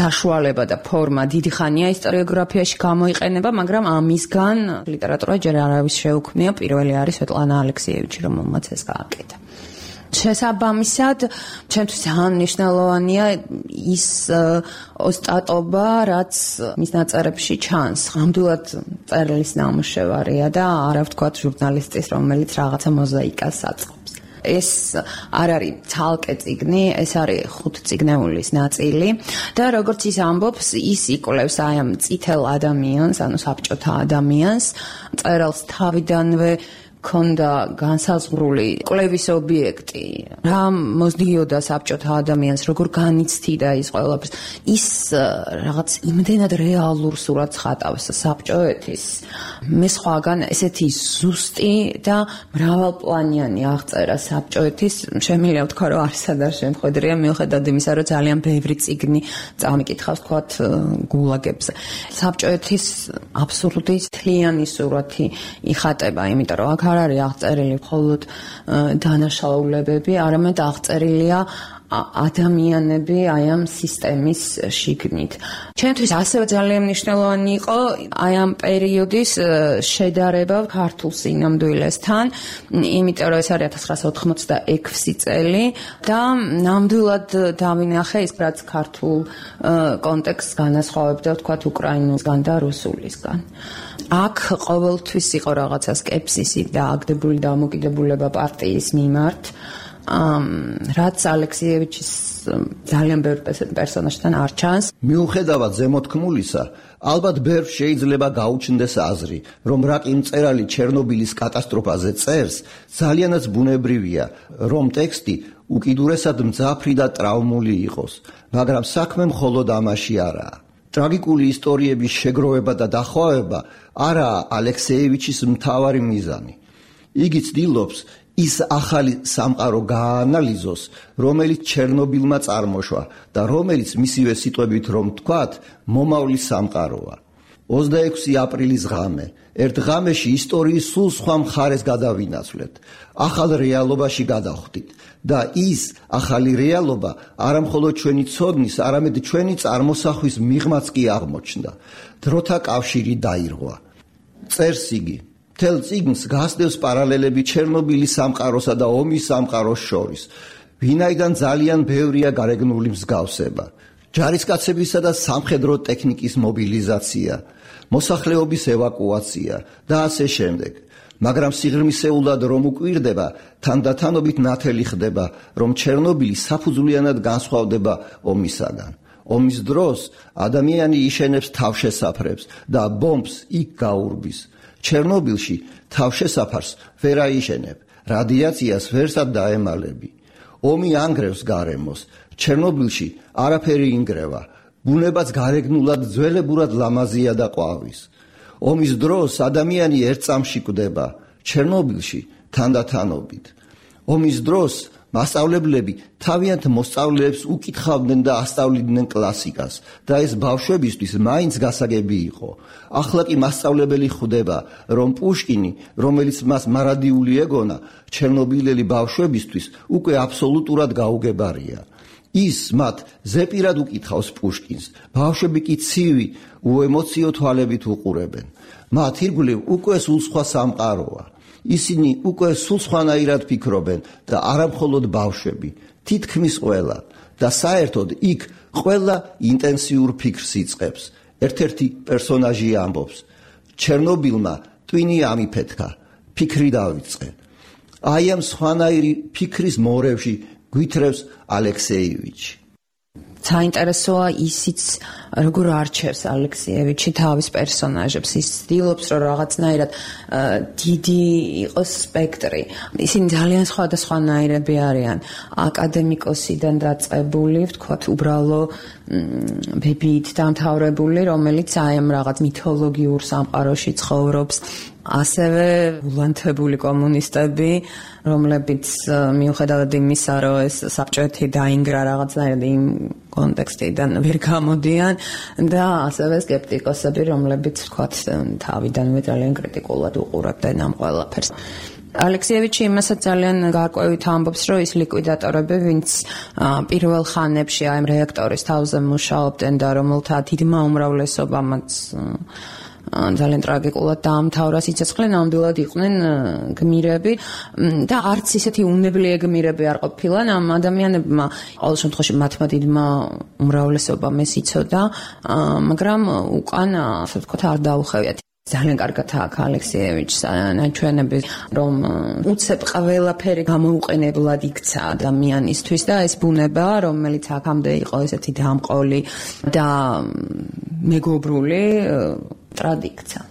საშუალება და ფორმა დიდი ხანია ისტორიოგრაფიაში გამოიყენება, მაგრამ ამისგან ლიტერატურა ჯერ არავის შეუქმნია, პირველი არის სვეტლანა ალექსიევიჩი, რომელმაც ეს გააკეთა. შესაბამისად, ჩემთვის ძალიან მნიშვნელოვანია ის ოსტატობა, რაც მის ნაწერებში ჩანს. ნამდვილად წერლის ნამუშევარია და არა ვთქვათ ჟურნალისტის, რომელიც რაღაცა მოზაიკას აწყობს. ეს არ არის ცალკე წიგნი, ეს არის ხუთწიგნეულის ნაწილი და როგორც ის ამბობს, ის იკვლევს აი ამ წითელ ადამიანს, ანუ საბჭოთა ადამიანს, მწერალს თავიდანვე ქონდა განსაზღვრული კვლევის ობიექტი, რა მოძდიოდა საბჭოთა ადამიანს, როგორ განიცდიდა ის ყველაფერს. ის რაღაც იმდენად რეალურ სურათს ხატავს საბჭოეთის. მე სხვაგან ესეთი ზუსტი და მრავალპლანიანი აღწერა საბჭოეთის, შემიძლია ვთქვა, რომ არსად არ შემხედრია, მიუხედავად იმისა, რომ ძალიან ბევრი წიგნი წამიკითხავს თქვათ გულაგებზე. საბჭოეთის აბსურდი თლიანი სურათი იხატება, იმიტომ რომ აქ არ არის აღწერილი მხოლოდ დანაშაულებები, არამედ აღწერილია ადამიანები აი ამ სისტემის შიგნით. ჩემთვის ასევე ძალიან მნიშვნელოვანი იყო აი ამ პერიოდის შედარება ქართულ სინამდვილესთან, იმიტომ რომ ეს არის ათას ცხრაასა ოთხმოცდაექვსი წელი და ნამდვილად დავინახე ის რაც ქართულ კონტექსტს განასხვავებდა, ვთქვათ, უკრაინულისგან და რუსულისგან. აქ ყოველთვის იყო რაღაცა სკეპსისი და აგდებული დამოკიდებულება პარტიის მიმართ. ამ რაც ალექსიევიჩის ძალიან ბევრ პერსონაჟთან არ ჩანს. მიუხედავად ზემოთქმულისა, ალბათ ბევრ შეიძლება გაუჩნდეს აზრი, რომ რაკი მწერალი ჩერნობილის კატასტროფაზე წერს, ძალიანაც ბუნებრივია, რომ ტექსტი უკიდურესად მძაფრი და ტრაუმული იყოს, მაგრამ საქმე მხოლოდ ამაში არაა. ტრაგიკული ისტორიების შეგროვება და დახვევება არაა ალექსიევიჩის მთავარი მიზანი. იგი ცდილობს ის ახალი სამყარო გააანალიზოს, რომელიც ჩერნობილმა წარმოშვა და რომელიც მისივე სიტყვებით რომ თქვათ, მომავლის სამყაროა. ოცდაექვსი აპრილის ღამე. ერთ ღამეში ისტორიის სულ სხვა მხარეს გადავინაცვლეთ. ახალ რეალობაში გადავხვდით და ის ახალი რეალობა არამხოლოდ ჩვენი ცოდნის, არამედ ჩვენი წარმოსახვის მიღმაც კი აღმოჩნდა. დროთა კავშირი დაირღვა. წერს იგი. მთელ წიგნს გასდევს პარალელები ჩერნობილის სამყაროსა და ომის სამყაროს შორის. ვინაიდან ძალიან ბევრია გარეგნული მსგავსება. ჯარისკაცებისა და სამხედრო ტექნიკის მობილიზაცია, მოსახლეობის ევაკუაცია და ასე შემდეგ. მაგრამ სიღრმისეულად რომ უკვირდება, თანდათანობით ნათელი ხდება, რომ ჩერნობილი საფუძვლიანად განსხვავდება ომისაგან. ომის დროს ადამიანი იშენებს თავშესაფრებს და ბომბს იქ გაურბის. ჩერნობილში თავშესაფარს ვერ აიშენებ, რადიაციას ვერსად დაემალები. ომი ანგრევს გარემოს, ჩერნობილში არაფერი ინგრევა, ბუნებაც გარეგნულად ძველებურად ლამაზია და ყვავის. ომის დროს ადამიანი ერთ წამში კვდება, ჩერნობილში თანდათანობით. ომის დროს მასწავლებლები თავიანთ მოსწავლეებს უკითხავდნენ და ასწავლიდნენ კლასიკას და ეს ბავშვებისთვის მაინც გასაგები იყო. ახლა კი მასწავლებელი ხვდება, რომ პუშკინი, რომელიც მას მარადიული ეგონა, ჩერნობილელი ბავშვებისთვის უკვე აბსოლუტურად გაუგებარია. ის მათ ზეპირად უკითხავს პუშკინს, ბავშვები კი ცივი, უემოციო თვალებით უყურებენ. მათ ირგვლივ უკვე სულ სხვა სამყაროა. ისინი უკვე სულ სხვანაირად ფიქრობენ და არამხოლოდ ბავშვები, თითქმის ყველა და საერთოდ იქ ყველა ინტენსიურ ფიქრს იწყებს. ერთ-ერთი პერსონაჟი ამბობს: ჩერნობილმა ტვინი ამიფეთქა, ფიქრი დავიწყე. აი ამ სხვანაირი ფიქრის მორევში გვითრევს ალექსეევიჩი. საინტერესოა ისიც, როგორ არჩევს ალექსეევიჩი თავის პერსონაჟებს. ის ცდილობს, რომ რაღაცნაირად დიდი იყოს სპექტრი. ისინი ძალიან სხვადასხვანაირები არიან. აკადემიკოსიდან დაწყებული, ვთქვათ, უბრალო ბებიით დამთავრებული, რომელიც აი ამ რაღაც მითოლოგიურ სამყაროში ცხოვრობს. ასევე ულანთებული კომუნისტები, რომლებიც მიუხედავად იმისა, რომ ეს საბჭოეთი დაინგრა რაღაცნაირად იმ კონტექსტიდან ვერ გამოდიან და ასევე სკეპტიკოსები, რომლებიც ვთქვათ, თავიდანვე ძალიან კრიტიკულად უყურებდნენ ამ ყველაფერს. ალექსეევიჩი იმასაც ძალიან გარკვევით ამბობს, რომ ის ლიკვიდატორები, ვინც პირველ ხანებში აი ამ რეაქტორის თავზე მუშაობდნენ და რომელთა დიდმა უმრავლესობამაც ძალიან ტრაგიკულად დაამთავრა სიცოცხლე, ნამდვილად იყვნენ გმირები და არც ისეთი უნებლიე გმირები არ ყოფილან ამ ადამიანებმა. ყოველ შემთხვევაში მათმა დიდმა უმრავლესობამ ეს იცოდა, მაგრამ უკან, ასე ვთქვათ, არ დაუხევიათ. ძალიან კარგად აქვს ალექსეევიჩს ნაჩვენები, რომ უცებ ყველაფერი გამოუყენებლად იქცა ადამიანისთვის და ეს ბუნება, რომელიც აქამდე იყო ესეთი დამყოლი და მეგობრული, ტრადიქცა.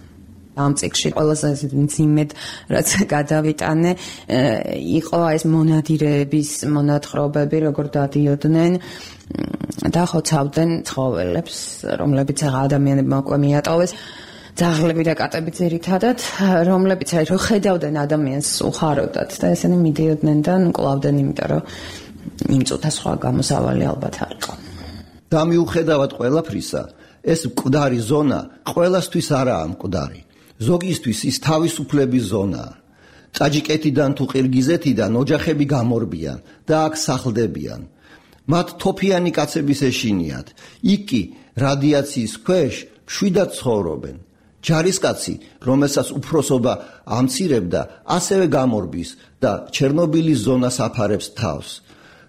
ამ წიგნში ყველაზე მძიმედ რაც გადავიტანე იყო ეს მონადირეების მონათხრობები, როგორ დადიოდნენ და ხოცავდნენ ცხოველებს, რომლებიც ადამიანებმა უკვე მიატოვეს. ძაღლები და კატები ძირითადად, რომლებიც აი რო ხედავდნენ ადამიანს უხაროდათ და ესენი მიდიოდნენ და კლავდნენ, იმიტომ რომ იმ წუთა სხვა გამოსავალი ალბათ არ იყო. და მიუხედავად ყველაფრისა, ეს მკვდარი ზონა ყველასთვის არაა მკვდარი. ზოგისთვის ის თავისუფლების ზონაა. ტაჯიკეთიდან თუ ყირგიზეთიდან ოჯახები გამორბიან და აქ სახლდებიან. მათ თოფიანი კაცების ეშინიათ. იქ კი რადიაციის ქვეშ მშვიდად ცხოვრობენ. ჯარისკაცი, რომელსაც უფროსობა ამცირებდა, ასევე გამორბის და ჩერნობილის ზონას აფარებს თავს.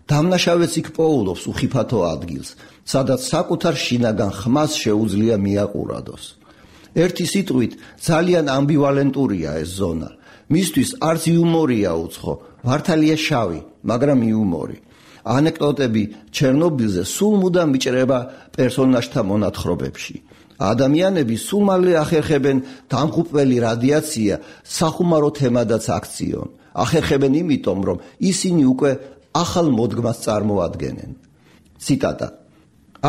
დამნაშავეც იქ პოულობს უხიფათო ადგილს, სადაც საკუთარ შინაგან ხმას შეუძლია მიაყურადოს. ერთი სიტყვით, ძალიან ამბივალენტურია ეს ზონა. მისთვის არც იუმორია უცხო, მართალია შავი, მაგრამ იუმორი. ანეკდოტები ჩერნობილზე სულ მუდამ მიჭრება პერსონაჟთა მონათხრობებში. ადამიანები სულ მალე ახერხებენ დამღუპველი რადიაცია სახუმარო თემადაც აქციონ. ახერხებენ იმიტომ, რომ ისინი უკვე ახალ მოდგმას წარმოადგენენ. ციტატა.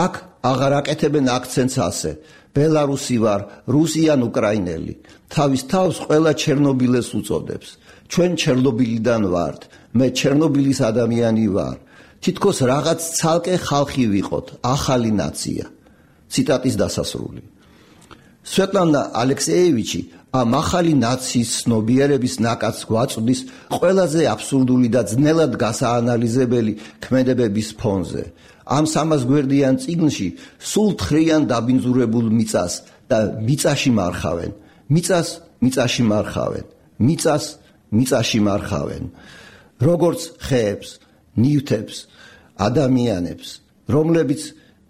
აქ აღარ აკეთებენ აქცენტს ასე. ბელარუსი ვარ, რუსი ან უკრაინელი. თავის თავს ყველა ჩერნობილეს უწოდებს. ჩვენ ჩერნობილიდან ვართ. მე ჩერნობილის ადამიანი ვარ. თითქოს რაღაც ცალკე ხალხი ვიყოთ, ახალი ნაცია. ციტატის დასასრული. სვეტლანა ალექსეევიჩი ამ ახალი ნაციის ცნობიერების ნაკადს გვაწვდის ყველაზე აბსურდული და ძნელად გასაანალიზებელი ქმედებების ფონზე. ამ სამას გვერდიან წიგნში სულ თხრიან დაბინძურებულ მიწას და მიწაში მარხავენ. მიწას მიწაში მარხავენ. მიწას მიწაში მარხავენ. როგორც ხეებს, ნივთებს, ადამიანებს, რომლებიც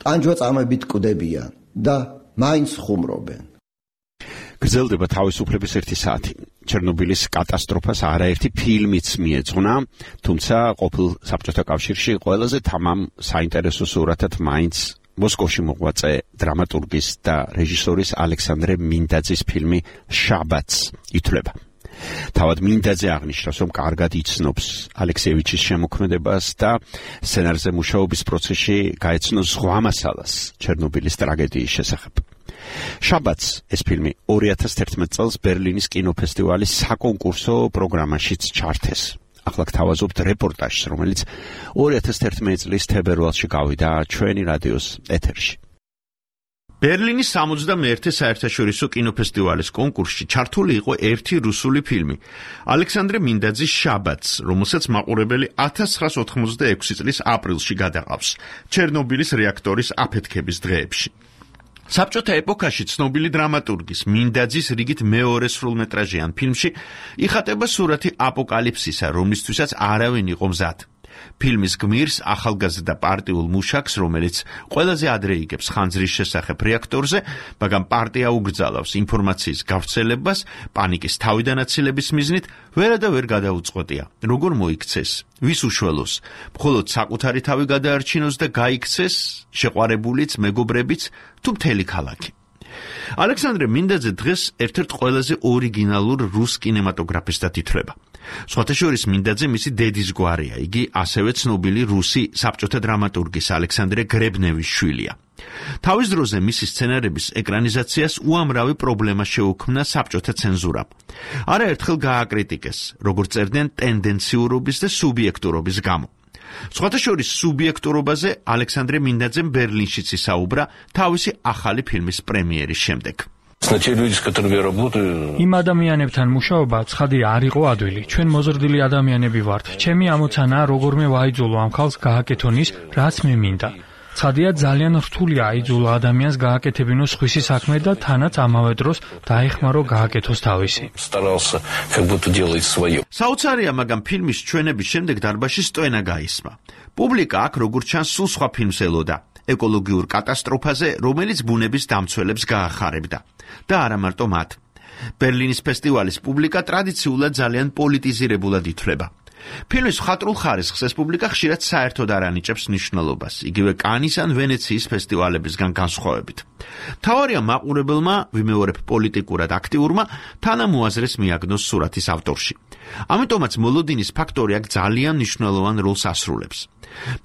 ტანჯვაწამებით კვდებიან და მაინც ხუმრობენ. გრძელდება თავისუფლების ერთი საათი. ჩერნობილის კატასტროფას არაერთი ფილმიც მიეძღვნა, თუმცა ყოფილ საბჭოთა კავშირში ყველაზე თამამ საინტერესო სურათად მაინც მოსკოვში მოღვაწე დრამატურგის და რეჟისორის ალექსანდრე მინდაძის ფილმი შაბათს ითვლება. თავად მინდაძე აღნიშნავს, რომ კარგად იცნობს ალექსეევიჩის შემოქმედებას და სცენარზე მუშაობის პროცესში გაეცნო ზღვა მასალას ჩერნობილის ტრაგედიის შესახებ. შაბათს ეს ფილმი ორი ათას თერთმეტ წელს ბერლინის კინოფესტივალის საკონკურსო პროგრამაშიც ჩართეს. ახლა გთავაზობთ რეპორტაჟს, რომელიც ორი ათას თერთმეტი წლის თებერვალში გავიდა ჩვენი რადიოს ეთერში. ბერლინის სამოცდამეერთე საერთაშორისო კინოფესტივალის კონკურსში ჩართული იყო ერთი რუსული ფილმი, ალექსანდრე მინდაძის შაბათს, რომელსაც მაყურებელი ათას ცხრაას ოთხმოცდაექვსი წლის აპრილში გადაყავს ჩერნობილის რეაქტორის აფეთქების დღეებში. საბჭოთა ეპოქაში ცნობილი დრამატურგის მინდაძის რიგით მეორე სრულმეტრაჟიან ფილმში იხატება სურათი აპოკალიფსისა, რომლისთვისაც არავინ იყო მზად. ფილმის გმირს ახალგაზრდა პარტიულ მუშაკს, რომელიც ყველაზე ადრე იგებს ხანძრის შესახებ რეაქტორზე, მაგრამ პარტია ugრძალავს ინფორმაციის გავრცელებას, პანიკის თავიდანაცილების მიზნით, ვერა და ვერ გადაუწყვეტია, როგორ მოიქცეს, ვის უშველოს, მხოლოდ საკუთარი თავი გადაარჩინოს და გაიქცეს, შეყვარებულიც, მეგობრებიც, თუ მთელი ქალაქი. ალექსანდრე მინდაძე დღეს ერთ-ერთ ყველაზე ორიგინალურ რუს კინემატოგრაფისტად ითვლება. სხვათა შორის მინდაძე მისი დედის გვარია, იგი ასევე ცნობილი რუსი საბჭოთა დრამატურგის ალექსანდრე გრებნევის შვილია. თავის დროზე მისი სცენარების ეკრანიზაციას უამრავი პრობლემა შეუქმნა საბჭოთა ცენზურამ. არაერთხელ გააკრიტიკეს, როგორც წერდნენ ტენდენციურობის და სუბიექტურობის გამო. სხვათა შორის სუბიექტურობაზე ალექსანდრე მინდაძემ ბერლინშიც ისაუბრა თავისი ახალი ფილმის პრემიერის შემდეგ. იმ ადამიანებთან მუშაობა ცხადი არ იყო ადვილი. ჩვენ მოზრდილი ადამიანები ვართ. ჩემი ამოცანაა როგორმე ვაიძულო ამ ხალხს გააკეთონ ის, რაც მე მინდა. ცხადია ძალიან რთულია აიძულო ადამიანს გააკეთებინოს სხვისი საქმე და თანაც ამავე დროს დაეხმარო გააკეთოს თავისი. საოცარია, მაგრამ ფილმის ჩვენების შემდეგ დარბაზში სტვენა გაისმა. პუბლიკა აქ როგორც ჩანს სულ სხვა ფილმს ელოდა. ეკოლოგიურ კატასტროფაზე, რომელიც ბუნების დამცველებს გაახარებდა. და არა მარტო მათ. ბერლინის ფესტივალის პუბლიკა ტრადიციულად ძალიან პოლიტიზირებულად ითვლება. ფილმის მხატვრულ ხარისხს ეს პუბლიკა ხშირად საერთოდ არ ანიჭებს მნიშვნელობას, იგივე კანის ან ვენეციის ფესტივალებისგან განსხვავებით. მთავარია მაყურებელმა, ვიმეორებ პოლიტიკურად აქტიურმა, თანამოაზრეს მიაგნოს სურათის ავტორში. ამიტომაც მოლოდინის ფაქტორი აქ ძალიან მნიშვნელოვან როლს ასრულებს.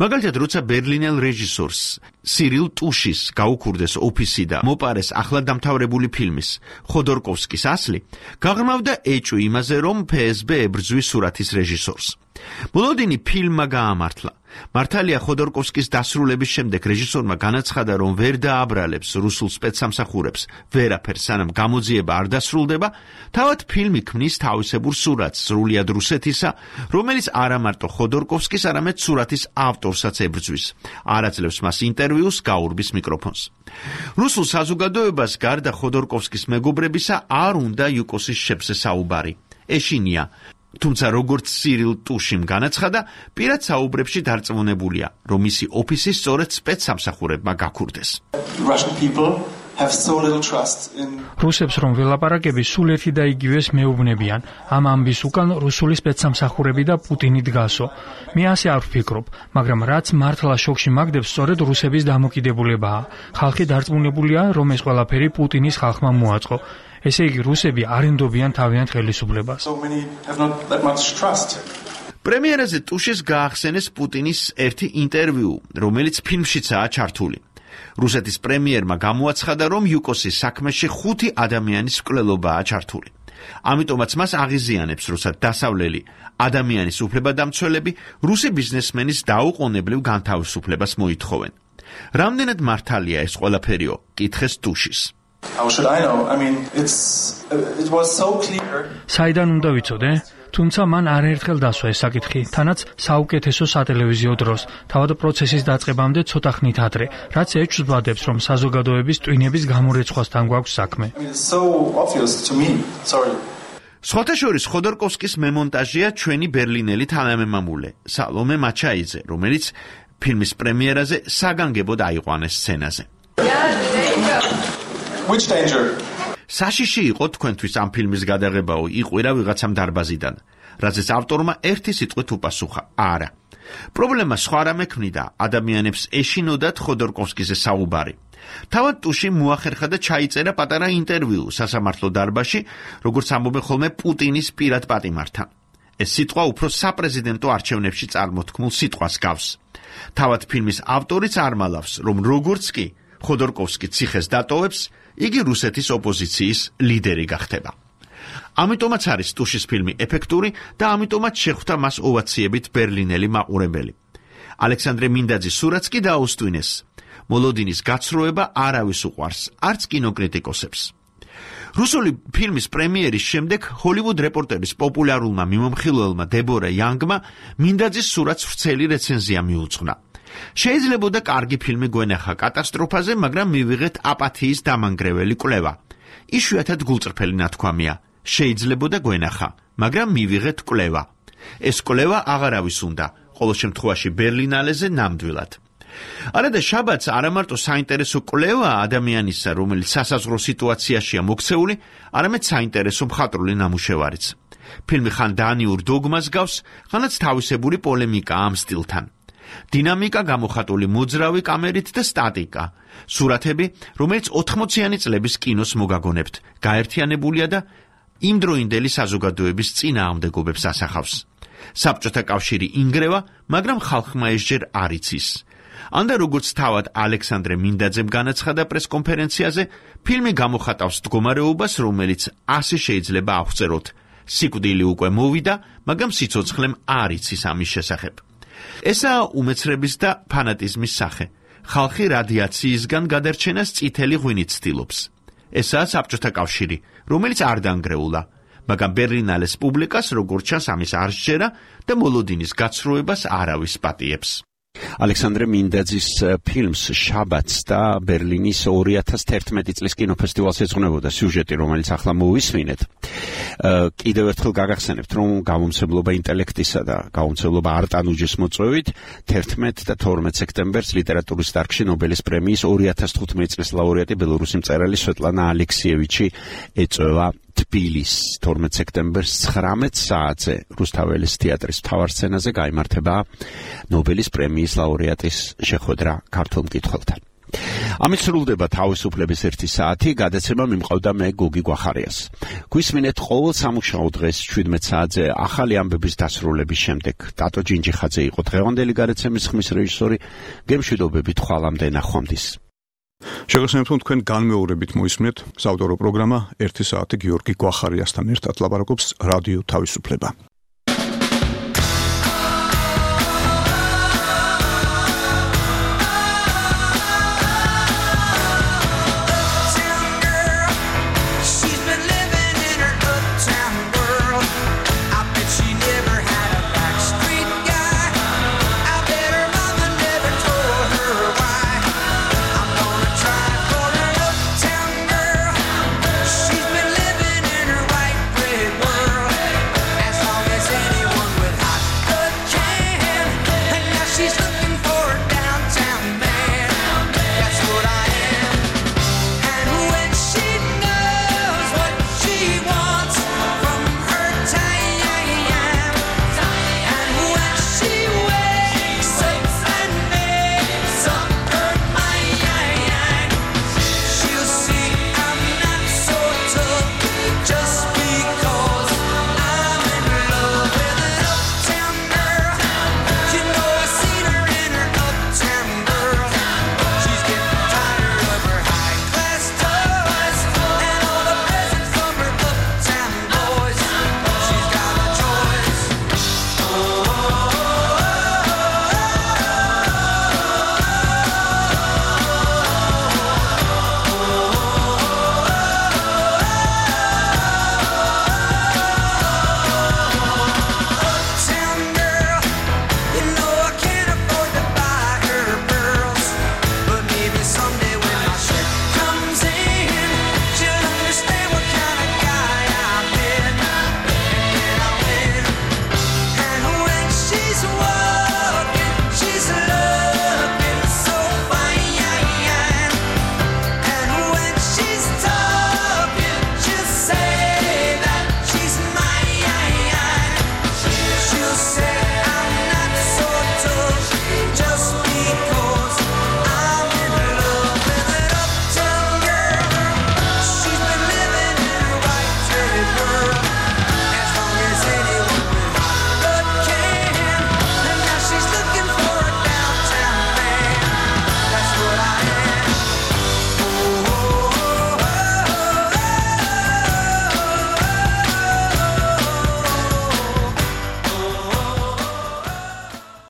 მაგალითად, როცა ბერლინელ რეჟისორს სირილ ტუშის გაუქურდეს ოფისი და მოპარეს ახლად დამთავრებული ფილმის ხოდორკოვსკის ასლი, გაღრმავდა ეჭვი იმაზე, რომ ფე ეს ბე ებრძვის სურათის რეჟისორს. მოლოდინი ფილმმა გაამართლა. მართალია ხოდორკოვსკის დასრულების შემდეგ რეჟისორმა განაცხადა, რომ ვერ დააბრალებს რუსულ სპეცსამსახურებს ვერაფერს, სანამ გამოძიება არ დასრულდება, თავად ფილმი ქმნის თავისებურ სურათს სრულიად რუსეთისა, რომელიც არა მარტო ხოდორკოვსკის, არამედ სურათის ავტორსაც ებრძვის. არ აძლევს მას ინტერვიუს, გაურბის მიკროფონს. რუსულ საზოგადოებას გარდა ხოდორკოვსკის მეგობრებისა არ უნდა იუკოსის შებზე საუბარი. ეშინია. თუმცა როგორც სირილ ტუშიმ განაცხადა, პირად საუბრებში დარწმუნებულია, რომ მისი ოფისი სწორედ სპეცსამსახურებმა გაქურდეს. რუსებს რომ ველაპარაკები სულ ერთი და იგივეს მეუბნებიან. ამ ამბის უკან რუსული სპეცსამსახურები და პუტინი დგასო. მე ასე არ ვფიქრობ, მაგრამ რაც მართლა შოქში მაგდებს, სწორედ რუსების დამოკიდებულებაა. ხალხი დარწმუნებულია, რომ ეს ყველაფერი პუტინის ხალხმა მოაწყო. ესე იგი რუსები არ ენდობიან თავიანთ ხელისუფლებას. პრემიერაზე ტუშის გაახსენეს პუტინის ერთი ინტერვიუ, რომელიც ფილმშიცაა ჩართული. რუსეთის პრემიერმა გამოაცხადა, რომ იუკოსის საქმეში ხუთი ადამიანის მკვლელობაა ჩართული. ამიტომაც მას აღიზიანებს, როცა დასავლელი ადამიანის უფლებადამცველები რუსი ბიზნესმენის დაუყოვნებლივ განთავისუფლებას მოითხოვენ. რამდენად მართალია ეს ყველაფერიო? კითხეს ტუშის. How should I know? I mean, it's it was so clear. საიდან უნდა ვიცოდე? თუმცა მან არაერთხელ დასვა ეს საკითხი, თანაც საუკეთესო სატელევიზიო დროს, თავად პროცესის დაწყებამდე ცოტა ხნით ადრე, რაც ეჩვენებს, რომ საზოგადოების ტვინების გამორეცხვასთან გვაქვს საქმე. I mean, it's so obvious to me. Sorry. სხვათა შორის ხოდორკოვსკის მემონტაჟია ჩვენი ბერლინელი თანამემამულე, სალომე მაჩაიძე, რომელიც ფილმის პრემიერაზე საგანგებოდ აიყვანეს სცენაზე. Which danger? საშიში იყო თქვენთვის ამ ფილმის გადაღებაო, იყვირა ვიღაცამ დარბაზიდან, რაზეც ავტორმა ერთი სიტყვით უპასუხა: არა. პრობლემა სხვა რამე ქმნიდა, ადამიანებს ეშინოდათ ხოდორკოვსკიზე საუბარი. თავად ტუში მოახერხა და ჩაიწერა პატარა ინტერვიუ სასამართლო დარბაზში, როგორც ამბობენ ხოლმე პუტინის პირად პატიმართან. ეს სიტყვა უფრო საპრეზიდენტო არჩევნებში წარმოთქმულ სიტყვას გავს. თავად ფილმის ავტორიც არ მალავს, რომ როგორც კი ხოდორკოვსკი ციხეს დატოვებს, იგი რუსეთის ოპოზიციის ლიდერი გახდება. ამიტომაც არის ტუშის ფილმი ეფექტური და ამიტომაც შეხვდა მას ოვაციებით ბერლინელი მაყურებელი. ალექსანდრე მინდაძის სურათს კი დაუსტვინეს. მოლოდინის გაცრუება არავის უყვარს, არც კინოკრიტიკოსებს. რუსული ფილმის პრემიერის შემდეგ ჰოლივუდ რეპორტერის პოპულარულმა მიმომხილველმა დებორა იანგმა მინდაძის სურათს ვრცელი რეცენზია მიუძღვნა. შეიძლებოდა კარგი ფილმი გვენახა კატასტროფაზე, მაგრამ მივიღეთ აპათიის დამანგრეველი კვლევა. იშვიათად გულწრფელი ნათქვამია. შეიძლებოდა გვენახა, მაგრამ მივიღეთ კვლევა. ეს კვლევა აღარავის უნდა, ყოველ შემთხვევაში ბერლინალეზე ნამდვილად. არადა შაბათს არა მარტო საინტერესო კვლევა ადამიანისა, რომელიც სასაზღვრო სიტუაციაშია მოქცეული, არამედ საინტერესო მხატვრული ნამუშევარიც. ფილმი ხან დანიურ დოგმას გავს, ხანაც თავისებური პოლემიკა ამ სტილთან. დინამიკა გამოხატული მოძრავი კამერით და სტატიკა. სურათები, რომელიც ოთხმოციანი წლების კინოს მოგაგონებთ, გაერთიანებულია და იმდროინდელი საზოგადოების წინააღმდეგობებს ასახავს. საბჭოთა კავშირი ინგრევა, მაგრამ ხალხმა ესჯერ არ იცის. ანდა როგორც თავად ალექსანდრე მინდაძემ განაცხადა პრესკონფერენციაზე, ფილმი გამოხატავს მდგომარეობას, რომელიც ასე შეიძლება აღწეროთ. სიკვდილი უკვე მოვიდა, მაგრამ სიცოცხლემ არ იცის ამის შესახებ. ესაა უმეცრების და ფანატიზმის სახე. ხალხი რადიაციისგან გადარჩენას წითელი ღვინით ცდილობს. ესაა საბჭოთა კავშირი, რომელიც არ დაანგრეულა, მაგრამ ბერლინალეს პუბლიკას როგორც ჩანს ამის არ სჯერა და მოლოდინის გაცრუებას არავის პატიებს. ალექსანდრე მინდაძის ფილმს შაბათს და ბერლინის ორი ათას თერთმეტი წლის კინოფესტივალს ეძღვნებოდა სიუჟეტი, რომელიც ახლა მოვისმინეთ. კიდევ ერთხელ გაგახსენებთ, რომ გამომცემლობა ინტელექტისა და გამომცემლობა არტანუჯის მოწვევით თერთმეტ და თორმეტ სექტემბერს ლიტერატურის დარგში ნობელის პრემიის ორი ათას თხუთმეტი წლის ლაურეატი ბელორუსი მწერალი სვეტლანა ალექსიევიჩი ეწევა თბილის. თორმეტ სექტემბერს ცხრამეტ საათზე რუსთაველის თეატრის მთავარ სცენაზე გაიმართება ნობელის პრემიის ლაურეატის შეხვედრა ქართულ მკითხველთან. ამით სრულდება თავისუფლების ერთი საათი, გადაცემა მიმყავდა მე გოგი გვახარიას. გვისმინეთ ყოველ სამუშაო დღეს შვიდმეტ საათზე ახალი ამბების დასრულების შემდეგ. ტატო ჯინჯიხაძე იყო დღევანდელი გადაცემის ხმის რეჟისორი. გემშვიდობებით ხვალამდე ნახვამდის. შეგახსენებთ, რომ თქვენ განმეორებით მოისმინეთ საავტორო პროგრამა ერთი საათი გიორგი გვახარიასთან ერთად ლაპარაკობს რადიო თავისუფლება.